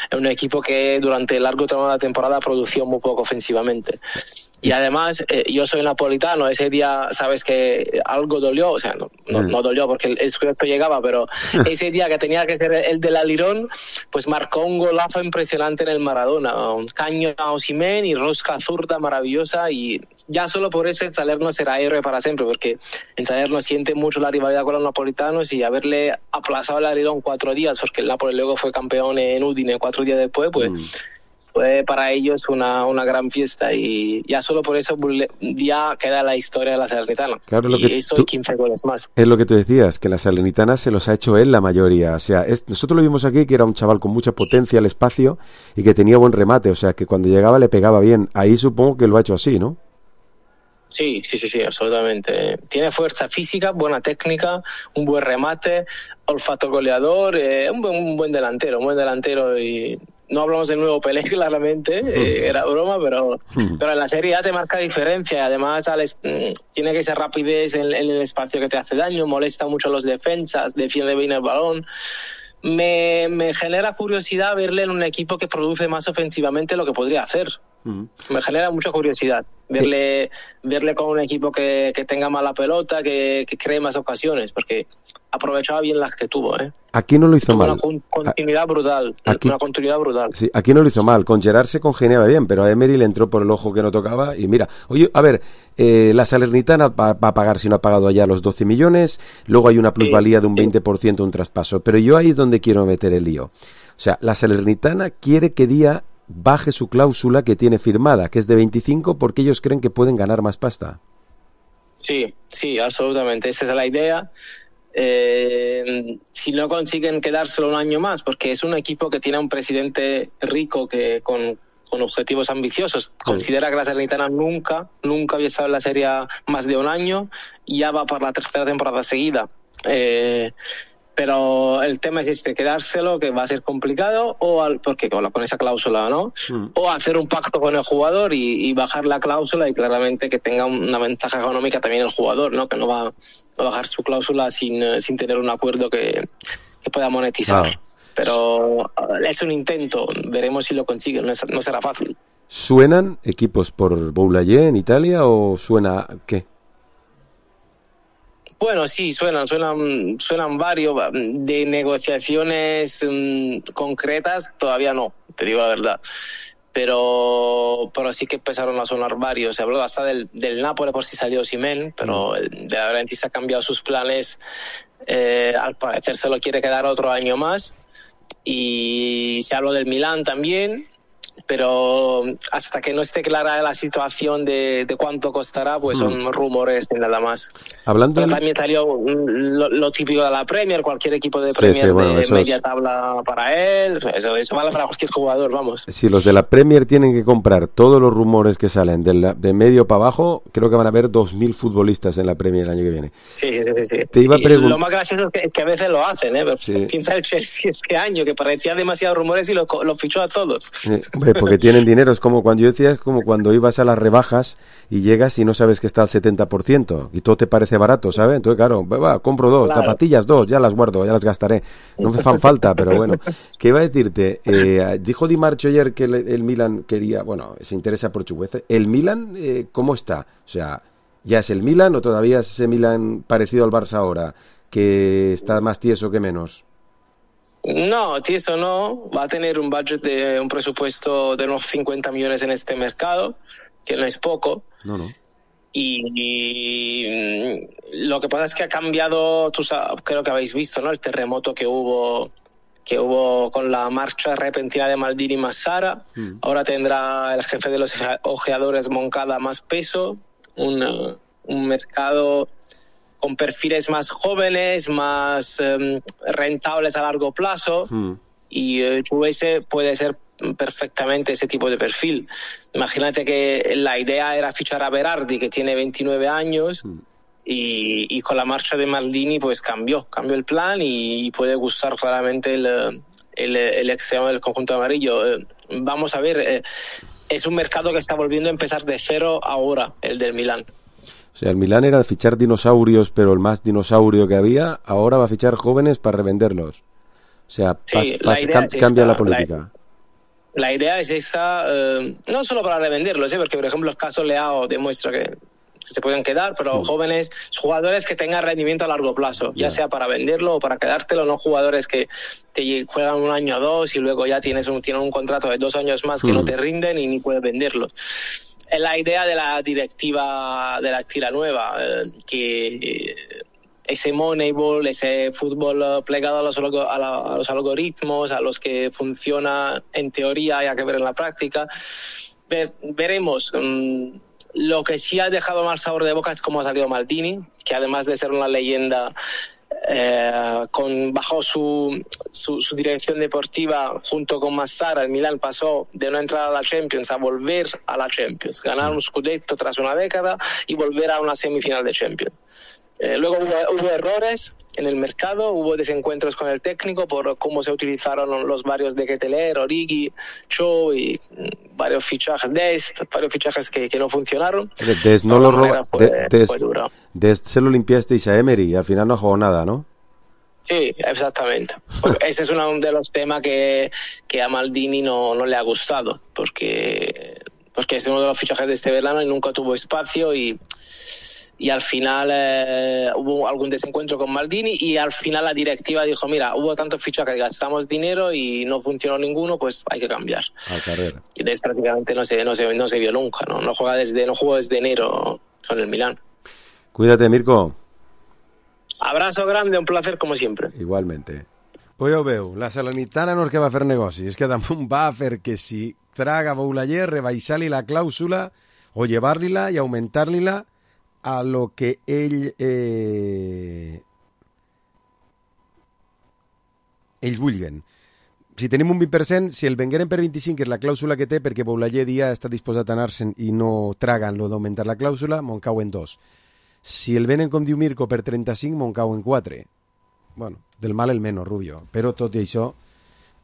en un equipo que durante el largo tramo de la temporada produció muy poco ofensivamente. Y además, yo soy napolitano, ese día, sabes que algo dolió, o sea, no dolió porque el scudetto llegaba, pero ese día que tenía que ser el del Alirón, pues marcó un golazo impresionante en el Maradona, un caño a Osimhen y rosca zurda maravillosa, y ya solo por eso el Salerno será héroe para siempre, porque el Salerno siente mucho la rivalidad con los napolitanos y haberle aplazado el Alirón 4 días, porque el Napoli luego fue campeón en Udine 4 días después, pues fue para ellos una gran fiesta, y ya solo por eso ya queda la historia de la Salernitana.
Claro,
y eso y 15 goles más.
Es lo que tú decías, que la Salernitana se los ha hecho él la mayoría. O sea, nosotros lo vimos aquí, que era un chaval con mucha potencia al espacio y que tenía buen remate, o sea, que cuando llegaba le pegaba bien. Ahí supongo que lo ha hecho así, ¿no?
Sí, absolutamente. Tiene fuerza física, buena técnica, un buen remate, olfato goleador, un buen delantero y no hablamos del nuevo Pelé, claramente, era broma, pero en la Serie A te marca diferencia, y además tiene que esa rapidez en el espacio que te hace daño, molesta mucho a los defensas, defiende bien el balón. Me genera curiosidad verle en un equipo que produce más ofensivamente lo que podría hacer. Me genera mucha curiosidad verle con un equipo que tenga más la pelota, que cree más ocasiones, porque aprovechaba bien las que tuvo.
Aquí no lo hizo mal.
Una continuidad brutal.
Sí, aquí no lo hizo mal. Con Gerard se congeniaba bien, pero a Emery le entró por el ojo que no tocaba. Y mira, oye, a ver, la Salernitana va a pagar, si no ha pagado allá, los 12 millones. Luego hay una plusvalía de un 20%, un traspaso. Pero yo ahí es donde quiero meter el lío. O sea, la Salernitana quiere que Díaz baje su cláusula que tiene firmada, que es de 25, porque ellos creen que pueden ganar más pasta.
Sí, absolutamente. Esa es la idea. Si no consiguen quedárselo un año más, porque es un equipo que tiene un presidente rico que con objetivos ambiciosos. Considera que la Salernitana nunca había estado en la Serie A más de un año y ya va por la 3ª temporada seguida. Pero el tema es quedárselo, que va a ser complicado, porque con esa cláusula, ¿no? O hacer un pacto con el jugador y bajar la cláusula, y claramente que tenga una ventaja económica también el jugador, ¿no? Que no va a bajar su cláusula sin tener un acuerdo que pueda monetizar. Pero es un intento, veremos si lo consiguen, no será fácil.
¿Suenan equipos por Boulaye en Italia o suena qué?
Bueno, sí, suenan varios. De negociaciones concretas todavía no, te digo la verdad. Pero sí que empezaron a sonar varios. Se habló hasta del Napoli por si salió Osimhen, pero de Laurentiis ha cambiado sus planes al parecer se lo quiere quedar otro año más, y se habló del Milán también, pero hasta que no esté clara la situación de cuánto costará, pues son rumores y nada más.
Hablando
pero también salió lo típico de la Premier, cualquier equipo de Premier de media tabla para él, eso vale para cualquier jugador, vamos.
Si los de la Premier tienen que comprar todos los rumores que salen de medio para abajo, creo que van a haber 2.000 futbolistas en la Premier el año que viene.
Sí.
Te iba a
lo más gracioso es que a veces lo hacen, Piensa el Chelsea este año, que parecía demasiados rumores y lo fichó a todos.
Porque tienen dinero, es como cuando yo decía, es como cuando ibas a las rebajas y llegas y no sabes que está al 70% y todo te parece barato, ¿sabes? Entonces, claro, compro 2, claro. Zapatillas 2, ya las guardo, ya las gastaré. No me fan falta, pero bueno. ¿Qué iba a decirte? Dijo Di Marcio ayer que el Milan quería, se interesa por Chukwueze. ¿El Milan cómo está? O sea, ¿ya es el Milan o todavía es ese Milan parecido al Barça ahora, que está más tieso que menos?
No, tieso no. Va a tener un budget un presupuesto de unos 50 millones en este mercado, que no es poco.
No.
Y lo que pasa es que ha cambiado, creo que habéis visto, ¿no? El terremoto que hubo con la marcha repentina de Maldini más Sara. Ahora tendrá el jefe de los ojeadores Moncada más peso, un mercado con perfiles más jóvenes, más rentables a largo plazo, y Chukwueze puede ser perfectamente ese tipo de perfil. Imagínate que la idea era fichar a Berardi, que tiene 29 años, y con la marcha de Maldini pues cambió el plan y puede gustar claramente el extremo del conjunto amarillo. Vamos a ver, es un mercado que está volviendo a empezar de cero ahora, el del Milán.
O sea, el Milán era fichar dinosaurios, pero el más dinosaurio que había, ahora va a fichar jóvenes para revenderlos. O sea, cambia la política.
La idea es esta, no solo para revenderlos, porque por ejemplo el caso Leao demuestra que se pueden quedar, pero jóvenes, jugadores que tengan rendimiento a largo plazo, ya sea para venderlo o para quedártelo, no jugadores que te juegan un año o dos y luego ya tienen un contrato de 2 años más que no te rinden y ni puedes venderlos. Es la idea de la directiva de la Actila Nueva, que ese Moneyball, ese fútbol plegado a los algoritmos, a los que funciona en teoría, hay que ver en la práctica. Veremos. Lo que sí ha dejado mal sabor de boca es cómo ha salido Maldini, que además de ser una leyenda, bajo su dirección deportiva junto con Massara, el Milan pasó de no entrar a la Champions a volver a la Champions, ganar un Scudetto tras una década y volver a una semifinal de Champions. Luego hubo errores en el mercado, hubo desencuentros con el técnico por cómo se utilizaron los varios de Ketteler, Origi, Cho y varios fichajes que no funcionaron.
Dest no lo roba, Dest se lo limpiasteis a Emery y al final no jugó nada, ¿no?
Sí, exactamente. Ese es uno de los temas que a Maldini no le ha gustado, porque es uno de los fichajes de este verano y nunca tuvo espacio y al final hubo algún desencuentro con Maldini y al final la directiva dijo, mira, hubo tantos fichajes, gastamos dinero y no funcionó ninguno, pues hay que cambiar. Y desde prácticamente no se vio nunca, no jugó desde enero con el Milán.
Cuídate, Mirko.
Abrazo grande, un placer como sempre.
Igualmente. Pues ho veu, la Salernitana no és que va fer negoci, és que damunt va fer que si traga Boulaye, rebaixar-li la clàusula o llevar-li-la i augmentar-li-la a lo que ells vulguen. Si tenim un 20%, si el vengueren per 25, que és la clàusula que té, perquè Boulaye dia està disposat a anar-se'n i no traguen lo d'augmentar la clàusula, me'n cauen 2. Si el venen, com diu Mirko, per 35, me'n cauen 4. Bueno, del mal el menys, Rubio. Però tot i això,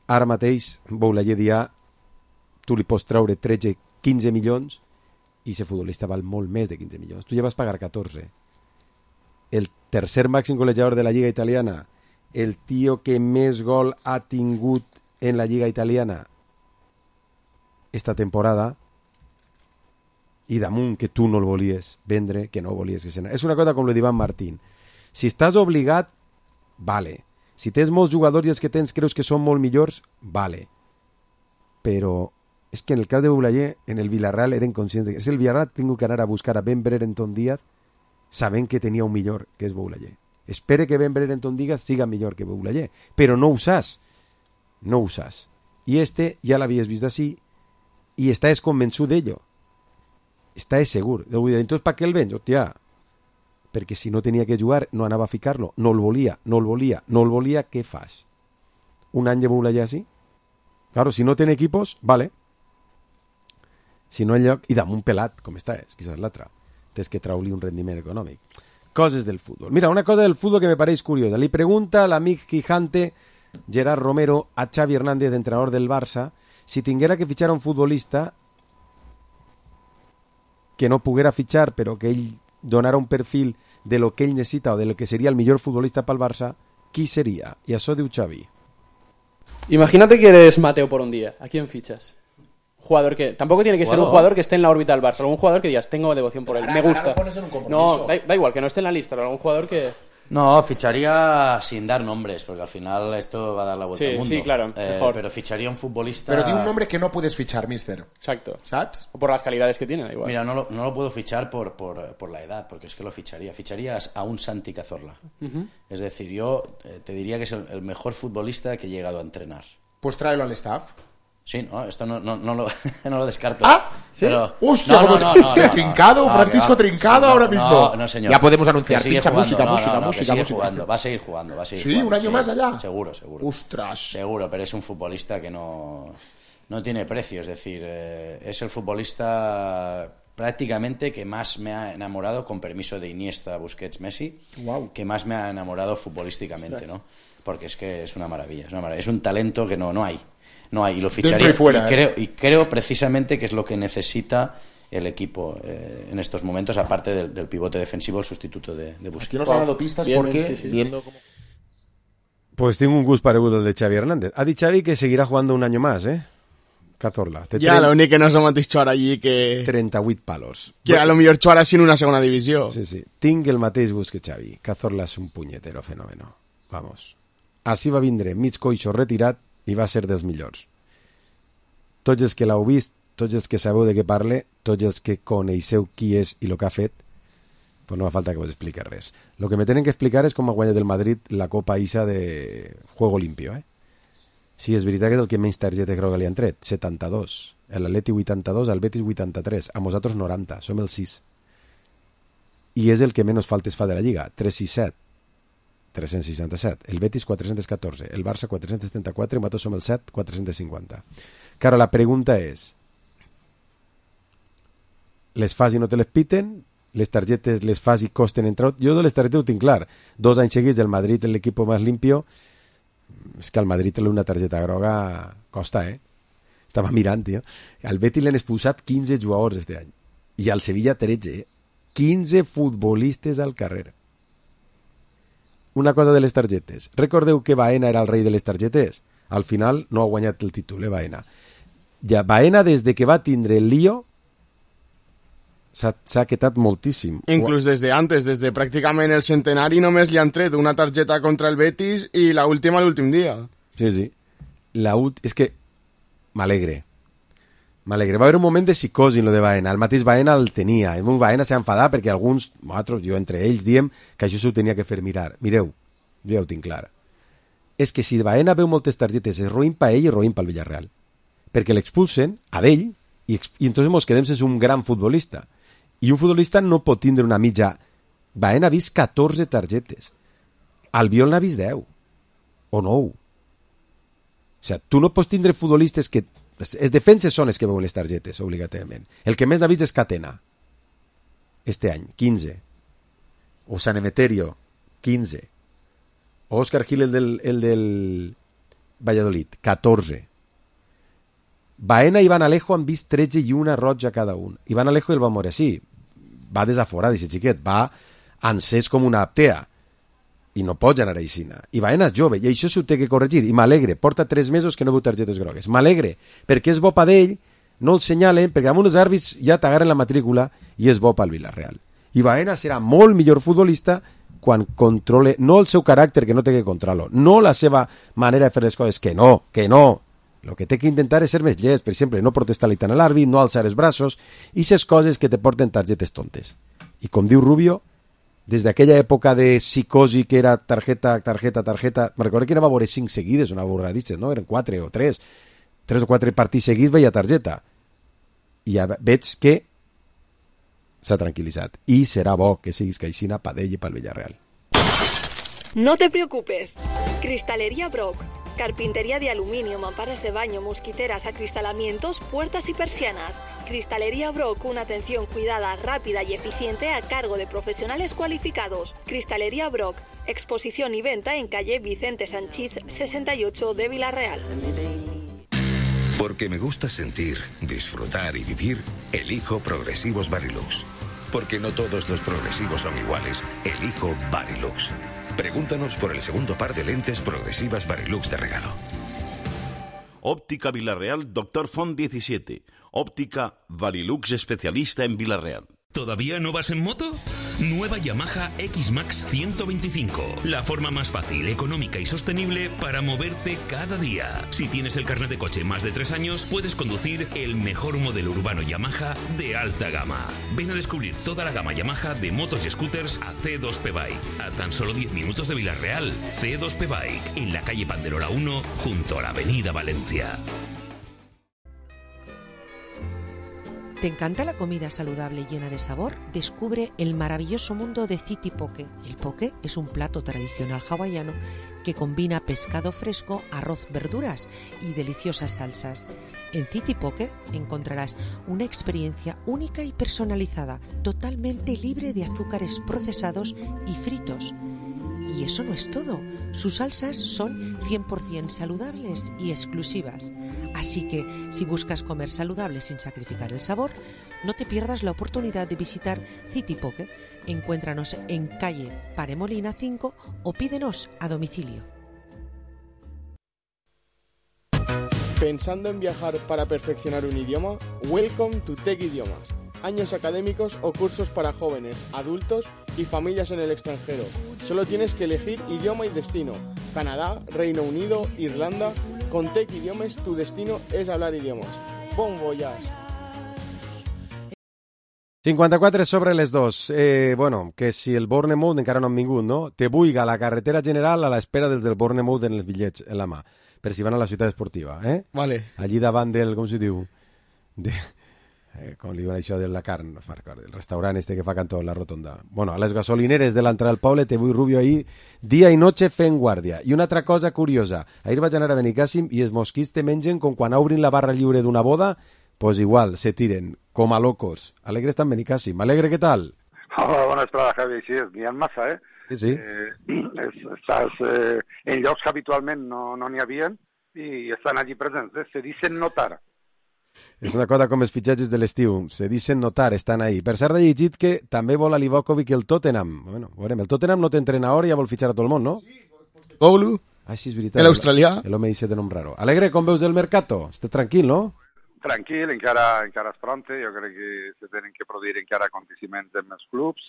ara mateix, Boulaye dia, tu li pots treure 13-15 milions i ese futbolista val molt més de 15 milions. Tu ja vas pagar 14. El tercer màxim golejador de la Lliga Italiana, el tio que més gol ha tingut en la Lliga Italiana esta temporada, i damunt que tu no el volies vendre, que no volies que se n'anés. És una cosa com lo d'Ivan Martín. Si estàs obligat, vale. Si tens molts jugadors i els que tens creus que són molt millors, vale. Però és que en el cas de Boulaye, en el Villarreal eren conscients de que si el Villarreal ha tingut que anar a buscar a Ben Brereton Díaz sabent que tenia un millor, que és Boulaye. Espere que Ben Brereton Díaz siga millor que Boulaye, però no ho saps. No ho saps. I ja l'havies vist d'ací i estàs convençut d'ello. Estàs segur. Entonces, ¿para qué el vens? Hòstia, perquè si no tenia que jugar, no anava a ficar-lo. No el volia. Què fas? Un any de Boulaye així? Claro, si no ten equipos, vale. Si no en lloc, i damunt pelat, com està, quizás l'altra. Tens que traure-li un rendiment econòmic. Coses del futbol. Mira, una cosa del futbol que me pareix curiosa. Li pregunta l'amic Quijante, Gerard Romero, a Xavi Hernández, entrenador del Barça, si tinguera que fitxar un futbolista que no poguera fitxar, però que ell donara un perfil de lo que ell necessita o de lo que seria el millor futbolista pel Barça, qui seria? I això diu Xavi.
Imagínate que eres Mateo por un día. ¿A quién fichas? Jugador que tampoco tiene que ser un jugador que esté en la órbita del Barça, algún jugador que digas, tengo devoción por él, me gusta. No, da igual, que no esté en la lista, pero algún jugador que...
No, ficharía sin dar nombres, porque al final esto va a dar la vuelta al mundo.
Sí, claro, mejor.
Pero ficharía un futbolista...
Pero di un nombre que no puedes fichar, mister.
Exacto.
¿Sabes?
O por las calidades que tiene, da igual.
Mira, no lo puedo fichar por la edad, porque es que lo ficharía. Ficharías a un Santi Cazorla. Es decir, yo te diría que es el mejor futbolista que he llegado a entrenar.
Pues tráelo al staff.
Sí, no, esto no lo descarto.
¿Ah? ¿Sí?
Pero...
¡Hostia! ¡Qué Trincado! Francisco Trincado ahora mismo.
No, señor.
Ya podemos anunciar.
Pincha música.
Jugando.
Va a seguir jugando.
¿Sí? ¿Un año más allá?
Seguro.
¡Ostras!
Seguro, pero es un futbolista que no tiene precio. Es decir, es el futbolista prácticamente que más me ha enamorado, con permiso de Iniesta, Busquets, Messi, que más me ha enamorado futbolísticamente, ¿no? Porque es que es una maravilla. Es un talento que no hay. Y lo ficharía. Y creo precisamente que es lo que necesita el equipo en estos momentos, aparte del pivote defensivo, el sustituto de Busquets.
Aquí nos ha dado pistas porque viendo cómo...
Pues tengo un gusto parecido al de Xavi Hernández. Ha dicho Xavi que seguirá jugando un año más, Cazorla.
Ja, l'únic que no som mateix Xuara allí que...
38 palos.
Que a lo millor Xuara sin una segona divisió.
Sí. Tinc el mateix gust que Xavi. Cazorla és un punyetero fenómeno. Vamos. Així va vindre mig coixo retirat i va ser dels millors. Tots els que l'heu vist, tots els que sabeu de què parle, tots els que coneixeu qui és i el que ha fet, pues no fa falta que vos expliqui res. Lo que me tenen que explicar és com ha guanyat el Madrid la Copa Isa de Juego Limpio. Sí, és veritat que és el que menys targetes groga li han tret, 72. L'Atleti 82, el Betis 83, a nosaltres 90, som el 6. I és el que menys faltes fa de la Lliga, 367, el Betis 414, el Barça 434 i nosaltres som el 7, 450. Claro, la pregunta és, les fas i no te les piten? Les targetes les fas i costen entrar? Jo de les targetes ho tinc clar. 2 anys seguits del Madrid, l'equip més limpio. És que al Madrid una targeta groga costa, Estava mirant, tio. Al Betis l'han expulsat 15 jugadors este any. I al Sevilla 13, 15 futbolistes al carrer. Una cosa de les targetes. Recordeu que Baena era el rei de les targetes? Al final no ha guanyat el títol, Baena. Ja, Baena, des de que va tindre el lío, s'ha quedat moltíssim.
Inclús des de antes, des de pràcticament el centenari, només li han tret una targeta contra el Betis i l'última l'últim dia.
Sí. És que m'alegre. Va haver un moment de psicosi en lo de Baena. El mateix Baena el tenia. El Baena s'ha enfadat perquè alguns, nosaltres, jo entre ells, diem que això s'ho tenia que fer mirar. Mireu, jo ja ho tinc clar. És que si Baena veu moltes targetes, és roïn per ell i roïn pel Villarreal. Perquè l'expulsen a d'ell i entonces ens quedem sense un gran futbolista. I un futbolista no pot tindre una mitja. Baena ha vist 14 targetes. Albiol n'ha vist 10. O 9. O sigui, tu no pots tindre futbolistes que... Els defenses són els que veuen les targetes, obligatòriament. El que més n'ha vist és Catena. Este any, 15. O San Emeterio, 15. O Óscar Gil, el del Valladolid, 14. Baena i Iván Alejo han vist 13 i una roja cada un. Iván Alejo el va morir així. Va desaforat, aquest xiquet. Va encès com una aptea. I no pots anar així. I Baena és jove, i això s'ho té que corregir. I m'alegre, porta 3 mesos que no veu targetes grogues. M'alegre, perquè és bo pa d'ell, no el senyalen, perquè damunt els àrbits ja t'agarren la matrícula i és bo pel Villarreal. I Baena serà molt millor futbolista quan controle, no el seu caràcter, que no té que controlar-lo, no la seva manera de fer les coses, que no. El que té que intentar és ser més llest, per exemple, no protestar-li tant a l'àrbit, no alçar els braços, i ces coses que te porten targetes tontes. I com diu Rubio, des d'aquella època de psicosi que era targeta, me recordo que anava a veure 5 seguides, una borradissa, no? Eren 4 o 3 o 4 partits seguits veia targeta. I ja veig que s'ha tranquil·litzat. I serà bo que siguis caixina pa d'ell i pel Villarreal.
No te preocupes. Cristalería Brock. Carpintería de aluminio, mamparas de baño, mosquiteras, acristalamientos, puertas y persianas. Cristalería Brock, una atención cuidada, rápida y eficiente a cargo de profesionales cualificados. Cristalería Brock, exposición y venta en calle Vicente Sanchís 68 de Villarreal.
Porque me gusta sentir, disfrutar y vivir, elijo Progresivos Varilux. Porque no todos los progresivos son iguales, elijo Varilux. Pregúntanos por el segundo par de lentes progresivas Varilux de regalo.
Óptica Villarreal, Dr. Font 17. Óptica Varilux especialista en Villarreal.
¿Todavía no vas en moto? Nueva Yamaha X-Max 125. La forma más fácil, económica y sostenible para moverte cada día. Si tienes el carnet de coche más de 3 años, puedes conducir el mejor modelo urbano Yamaha de alta gama. Ven a descubrir toda la gama Yamaha de motos y scooters a C2P Bike. A tan solo 10 minutos de Villarreal, C2P Bike, en la calle Panderola 1, junto a la avenida Valencia.
¿Te encanta la comida saludable y llena de sabor? Descubre el maravilloso mundo de City Poke. El poke es un plato tradicional hawaiano que combina pescado fresco, arroz, verduras y deliciosas salsas. En City Poke encontrarás una experiencia única y personalizada, totalmente libre de azúcares procesados y fritos. Y eso no es todo. Sus salsas son 100% saludables y exclusivas. Así que, si buscas comer saludable sin sacrificar el sabor, no te pierdas la oportunidad de visitar City Poke. Encuéntranos en calle Paremolina 5 o pídenos a domicilio.
¿Pensando en viajar para perfeccionar un idioma? Welcome to Tech Idiomas. Años académicos o cursos para jóvenes, adultos y familias en el extranjero. Solo tienes que elegir idioma y destino. Canadá, Reino Unido, Irlanda. Con Tech Idiomes tu destino és hablar idiomes. Bon voyage!
54 sobre les 2. Bueno, que si el Bournemouth encara no han vingut, no? Te buiga la carretera general a l'espera dels del Bournemouth en els bitllets en la mà, per si van a la ciutat esportiva, eh?
Vale.
Allí davant del, com se diu? Com li diuen això de la carn, el restaurant este que fa cantó, la rotonda. Bueno, a les gasolineres de l'entrada al poble te vull Rubio ahí dia i noche fent guàrdia. I una altra cosa curiosa, ahir vaig anar a Benicàssim i els mosquits te mengen com quan obrin la barra lliure d'una boda, pues igual, se tiren, com a locos. Alegre està en Benicàssim. Alegre, què tal?
Hola, bona estada, Javi. Sí, n'hi ha massa, eh?
Sí.
Estàs en llocs que habitualment no n'hi havien i estan allí presents. Se dicen notar.
És una cosa com els fitxatges de l'estiu, se dicen notar, estan ahí. Per cert, he llegit que també vol a Livakovic el Tottenham. Bueno, veurem, el Tottenham no té entrenador i ja vol fitxar a tot el món, no?
Sí, Postecoglou.
Ah, sí, és veritat.
L'australià.
L'home dice de nom raro. Alegre, com veus el mercato? Estàs tranquil, no?
Tranquil, encara és pronte. Jo crec que se tenen que produir encara aconteciments en els clubs,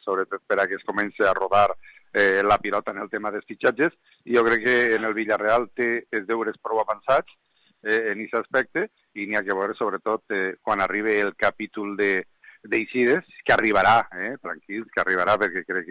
sobretot per a que es comenci a rodar la pilota en el tema dels fitxatges. I jo crec que en el Villarreal té els deures prou avançats en aquest aspecte i n'hi ha que veure sobretot quan arribi el capítol d'eixides, que arribarà, tranquils, que arribarà perquè crec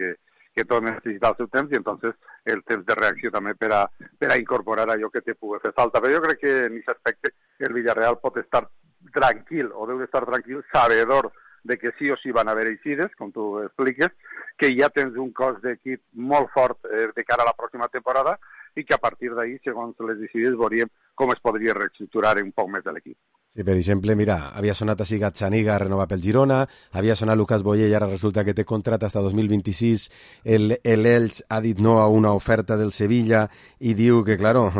que tot necessita el seu temps i entonces el temps de reacció també per a incorporar allò que te pugui fer falta. Però jo crec que en aquest aspecte el Villarreal pot estar tranquil o deu estar tranquil, sabedor de que sí o sí van haver eixides, com tu expliques, que ja tens un cos d'equip molt fort de cara a la pròxima temporada i que a partir d'ahí, segons les eixides, veuríem com es podria reestructurar un poc més de l'equip.
Sí, per exemple, mira, havia sonat així Gazzaniga a renovar pel Girona, havia sonat Lucas Boyer i ara resulta que té contrat hasta 2026, el Elx ha dit no a una oferta del Sevilla i diu que, claro,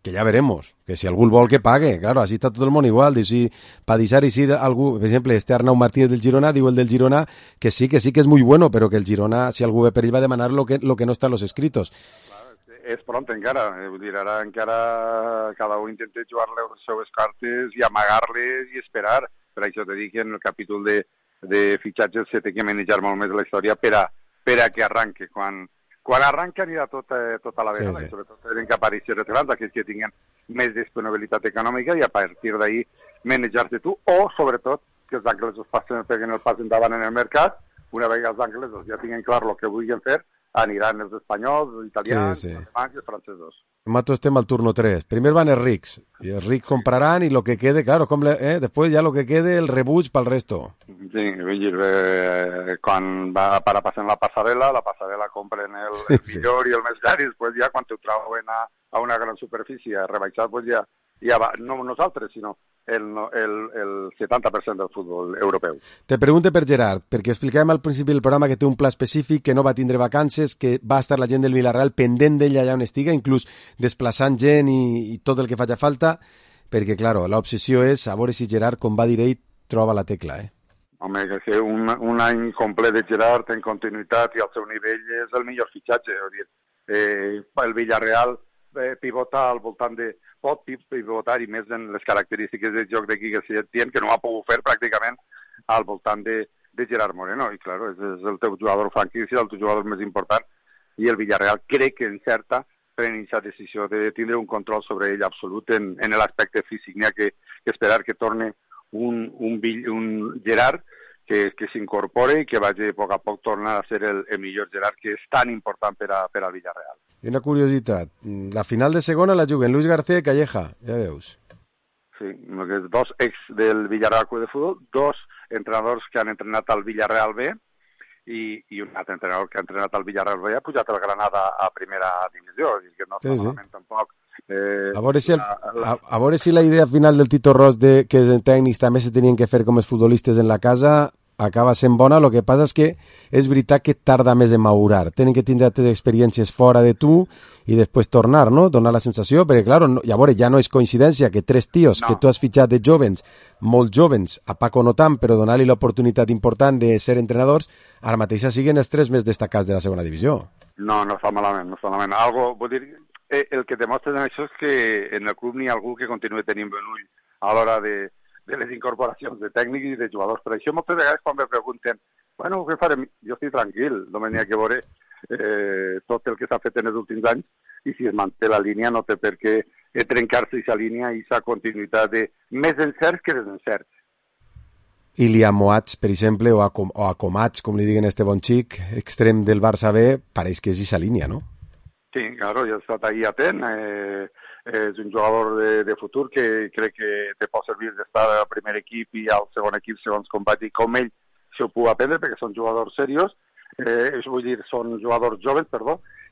que ja veremos, que si algú el vol que pague, claro, així està tot el món igual, de si per deixar així algú, per exemple, este Arnau Martínez del Girona, diu el del Girona que sí que és muy bueno, però que el Girona, si algú ve per ell, va a demanar lo que no està en los escritos.
És pront encara, vull dir, ara encara cada un intenta jugar les seues cartes i amagar-les i esperar. Per això t'he dit que en el capítol de fitxatges se té que manejar molt més la història per a que arranque. Quan arranca anirà tot a la vegada, sí. I sobretot tenen que aparèixer retrats, aquells que tinguin més disponibilitat econòmica i a partir d'ahir manejar-te tu, o sobretot que els angles peguen el pas endavant en el mercat, una vegada els anglesos ja tinguin clar el que vulguin fer, aniran els espanyols, els italians, els alemans i els francesos.
Nosaltres estem al turno 3. Primer van els rics, i els rics compraran i lo que quede, claro, después ya lo que quede el rebuig pel resto.
Sí, vull dir, quan va para passar la passarel·la compren el millor i el més car, i després ja quan t'ho trauen a una gran superfície rebaixat, pues ja va, no nosaltres, sinó el 70% del futbol europeu.
Te pregunte per Gerard, perquè explicàvem al principi del programa que té un pla específic, que no va tindre vacances, que va estar la gent del Villarreal pendent d'ell allà on estiga, inclús desplaçant gent i tot el que faci falta, perquè, claro, l'obsessió és a veure si Gerard, com va dir ell, troba la tecla,
Home, que un any complet de Gerard en continuïtat i al seu nivell és el millor fitxatge. El Villarreal pivota al voltant de... pot pivotar i més en les característiques de joc de Quique Setién, que no ha pogut fer pràcticament al voltant de Gerard Moreno. I, clar, és el teu jugador franquícia, el teu jugador més important, i el Villarreal crec que encerta pren aquesta decisió de tindre un control sobre ell absolut en l'aspecte físic. N'hi ha que esperar que torne un Gerard que s'incorpore i que vagi a poc tornar a ser el millor Gerard, que és tan important per al Villarreal.
I una curiositat, la final de segona la juguen Luis García i Calleja, ja veus.
Sí, dos ex del Villarreal Club de Futbol, dos entrenadors que han entrenat al Villarreal B i un altre entrenador que ha entrenat al Villarreal B ha pujat el Granada a primera divisió, que no està malament tampoc.
A veure si la idea final del Tito Ros que els tècnics també se tenien que fer com els futbolistes en la casa acaba sent bona. El que passa és que és veritat que tarda més en madurar. Tenen que tindre altres experiències fora de tu i després tornar, no? Donar la sensació, perquè, clar, ja no és coincidència que tres tios que tu has fitxat de jovens, molt jovens, a Paco no tant, però donar-li l'oportunitat important de ser entrenadors, ara mateix siguin els tres més destacats de la segona divisió.
No està malament, no està malament. Vull dir, el que demostra en això és que en el club n'hi ha algú que continuï tenint bon ull a l'hora de les incorporacions de tècnics i de jugadors. Per això moltes vegades quan me pregunten què farem? Jo estic tranquil, només n'hi ha que veure tot el que s'ha fet en els últims anys i si es manté la línia no té per què trencar-se aquesta línia i aquesta continuïtat de més encerts que desencerts.
Ilya Moats, per exemple, o a Comats, com li diguen este bon xic, extrem del Barça B, pareix que és aquesta línia, no?
Sí, claro, ja ha estat ahí atent. És un jugador de futur que crec que te pot servir d'estar al primer equip i al segon equip segons com va dir, com ell s'ho pugui aprendre, perquè són jugadors serios, vull dir, són jugadors joves,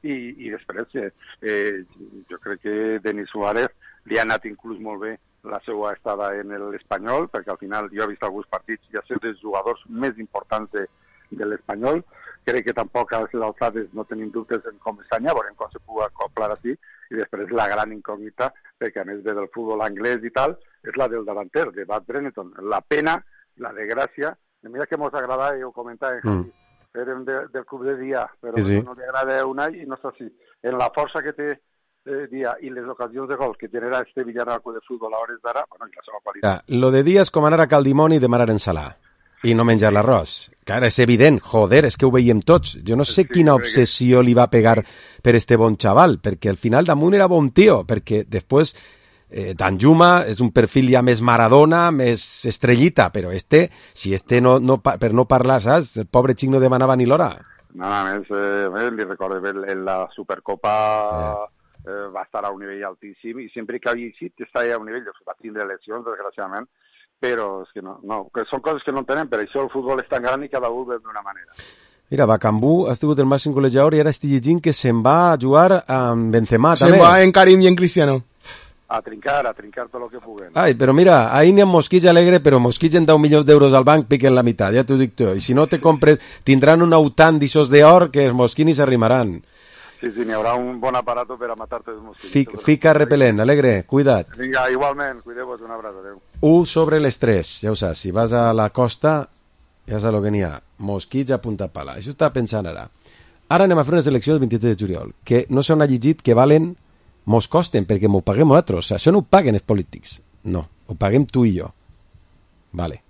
i després jo crec que Denis Suárez li ha anat inclús molt bé la seva estada en l'Espanyol, perquè al final jo he vist alguns partits i ha sigut dels jugadors més importants de l'Espanyol. Crec que tampoc a les alçades no tenim dubtes en com s'anya, veurem com se pugui acoplar així, i després la gran incògnita, perquè a més ve del futbol anglès i tal, és la del davanter, de Bad Brenneton. La pena, la desgràcia, mira que mos agrada, ho comentava, érem del club de dia, però no li agrada un any i no és així. En la força que té dia i les ocasions de gols que genera este Villarreal de futbol a hores d'ara, i la seva qualitat.
Lo de dia és com anar a Caldimoni i demanar ensalà. I no menjar l'arròs. Clar, és evident, joder, és que ho veiem tots. Jo no sé quina obsessió li va pegar per este bon xaval, perquè al final damunt era bon tio, perquè després Danjuma és un perfil ja més Maradona, més estrellita, però si per no parlar, saps? El pobre xic no demanava ni l'hora.
Nada més, li recordo en la Supercopa va estar a un nivell altíssim i sempre que havia eixit estava a un nivell, va tindre lesions, desgraciadament, però és que que són coses que no entenem, per això el futbol és tan gran i cada un ve d'una manera.
Mira, Bacambú ha estat el màxim golejador i ara estic llegint que se'n va a jugar amb Benzema, també.
Se'n va en Karim i en Cristiano.
A trincar tot el que puguen.
Ai, però mira, ahí n'hi ha Mosquitx alegre, però Mosquitx en 10 milions d'euros al banc piquen la meitat, ja t'ho dic tu. I si no te compres, tindran un autant d'ixos d'or que els mosquits ni s'arrimaran.
Sí, n'hi haurà un bon aparato per a matar-te els mosquits.
Fica repel·lent, alegre, cuida't.
Vinga, igualment, cuideu-vos, un abraç, adeu.
1 sobre les 3, ja ho saps, si vas a la costa, ja saps el que n'hi ha, mosquits a punta pala, això està pensant ara. Ara anem a fer unes eleccions el 23 de juliol, que no s'han llegit que valen, mos costen, perquè m'ho paguem nosaltres, això no ho paguen els polítics, no, ho paguem tu i jo. Vale.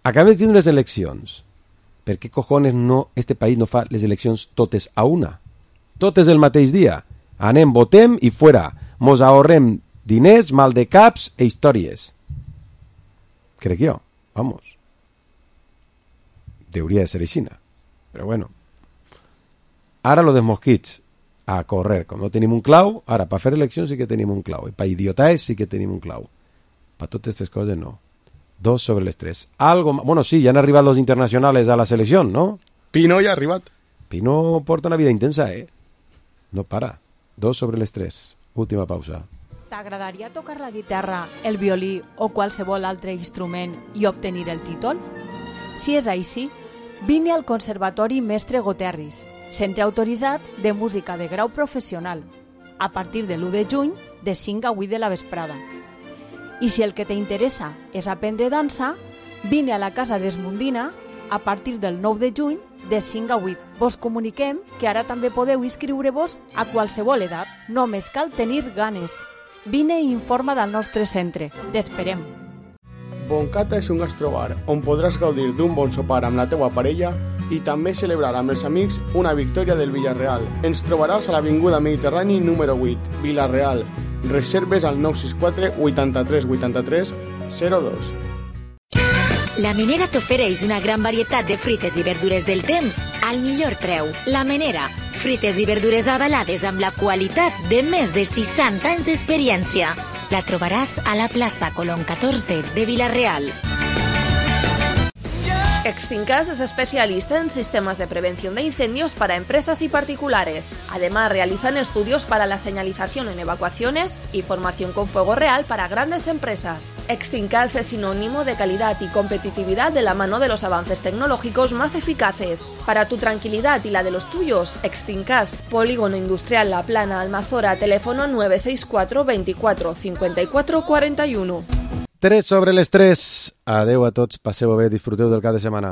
Acabem de tindre unes eleccions, per què cojones este país no fa les eleccions totes a una? Totes el mateix dia. Anem, votem i fuera. Mos ahorrem diners, mal de caps e històries. Crec jo. Vamos. Hauria de ser així. Però bueno. Ara lo dels mosquits. A correr. Com no tenim un clau, ara, per fer eleccions sí que tenim un clau. I per idiotaes sí que tenim un clau. Per totes aquestes coses no. 2 sobre les 3. Algo... Bueno, sí, ja han arribat los internacionales a la selecció, ¿no?
Pino ja ha arribat.
Pino porta una vida intensa, No para. 2 sobre les 3. Última pausa.
T'agradaria tocar la guitarra, el violí o qualsevol altre instrument i obtenir el títol? Si és així, vine al Conservatori Mestre Goterris, centre autoritzat de música de grau professional, a partir de l'1 de juny de 5 a 8 de la vesprada. I si el que t'interessa és aprendre dansa, vine a la Casa d'Esmundina a partir del 9 de juny de 5 a 8. Vos comuniquem que ara també podeu inscriure-vos a qualsevol edat. Només cal tenir ganes. Vine i informa del nostre centre. T'esperem.
Boncata és un gastrobar on podràs gaudir d'un bon sopar amb la teua parella i també celebrar amb els amics una victòria del Villarreal. Ens trobaràs a l'Avinguda Mediterrani número 8, Villarreal. Reserves al 964 83 83 02.
La Menera t'ofereix una gran varietat de fruites i verdures del temps al millor preu. La Menera, fruites i verdures avalades amb la qualitat de més de 60 anys d'experiència. La trobaràs a la plaça Colón 14 de Villarreal.
Extincas es especialista en sistemas de prevención de incendios para empresas y particulares. Además, realizan estudios para la señalización en evacuaciones y formación con fuego real para grandes empresas. Extincas es sinónimo de calidad y competitividad de la mano de los avances tecnológicos más eficaces. Para tu tranquilidad y la de los tuyos, Extincas, Polígono Industrial La Plana, Almazora, teléfono 964 24 54 41.
3 sobre les 3. Adeu a tots, passeu bé, disfruteu del cap de setmana.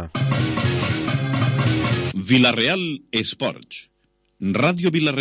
Villarreal Esports. Ràdio Villarreal.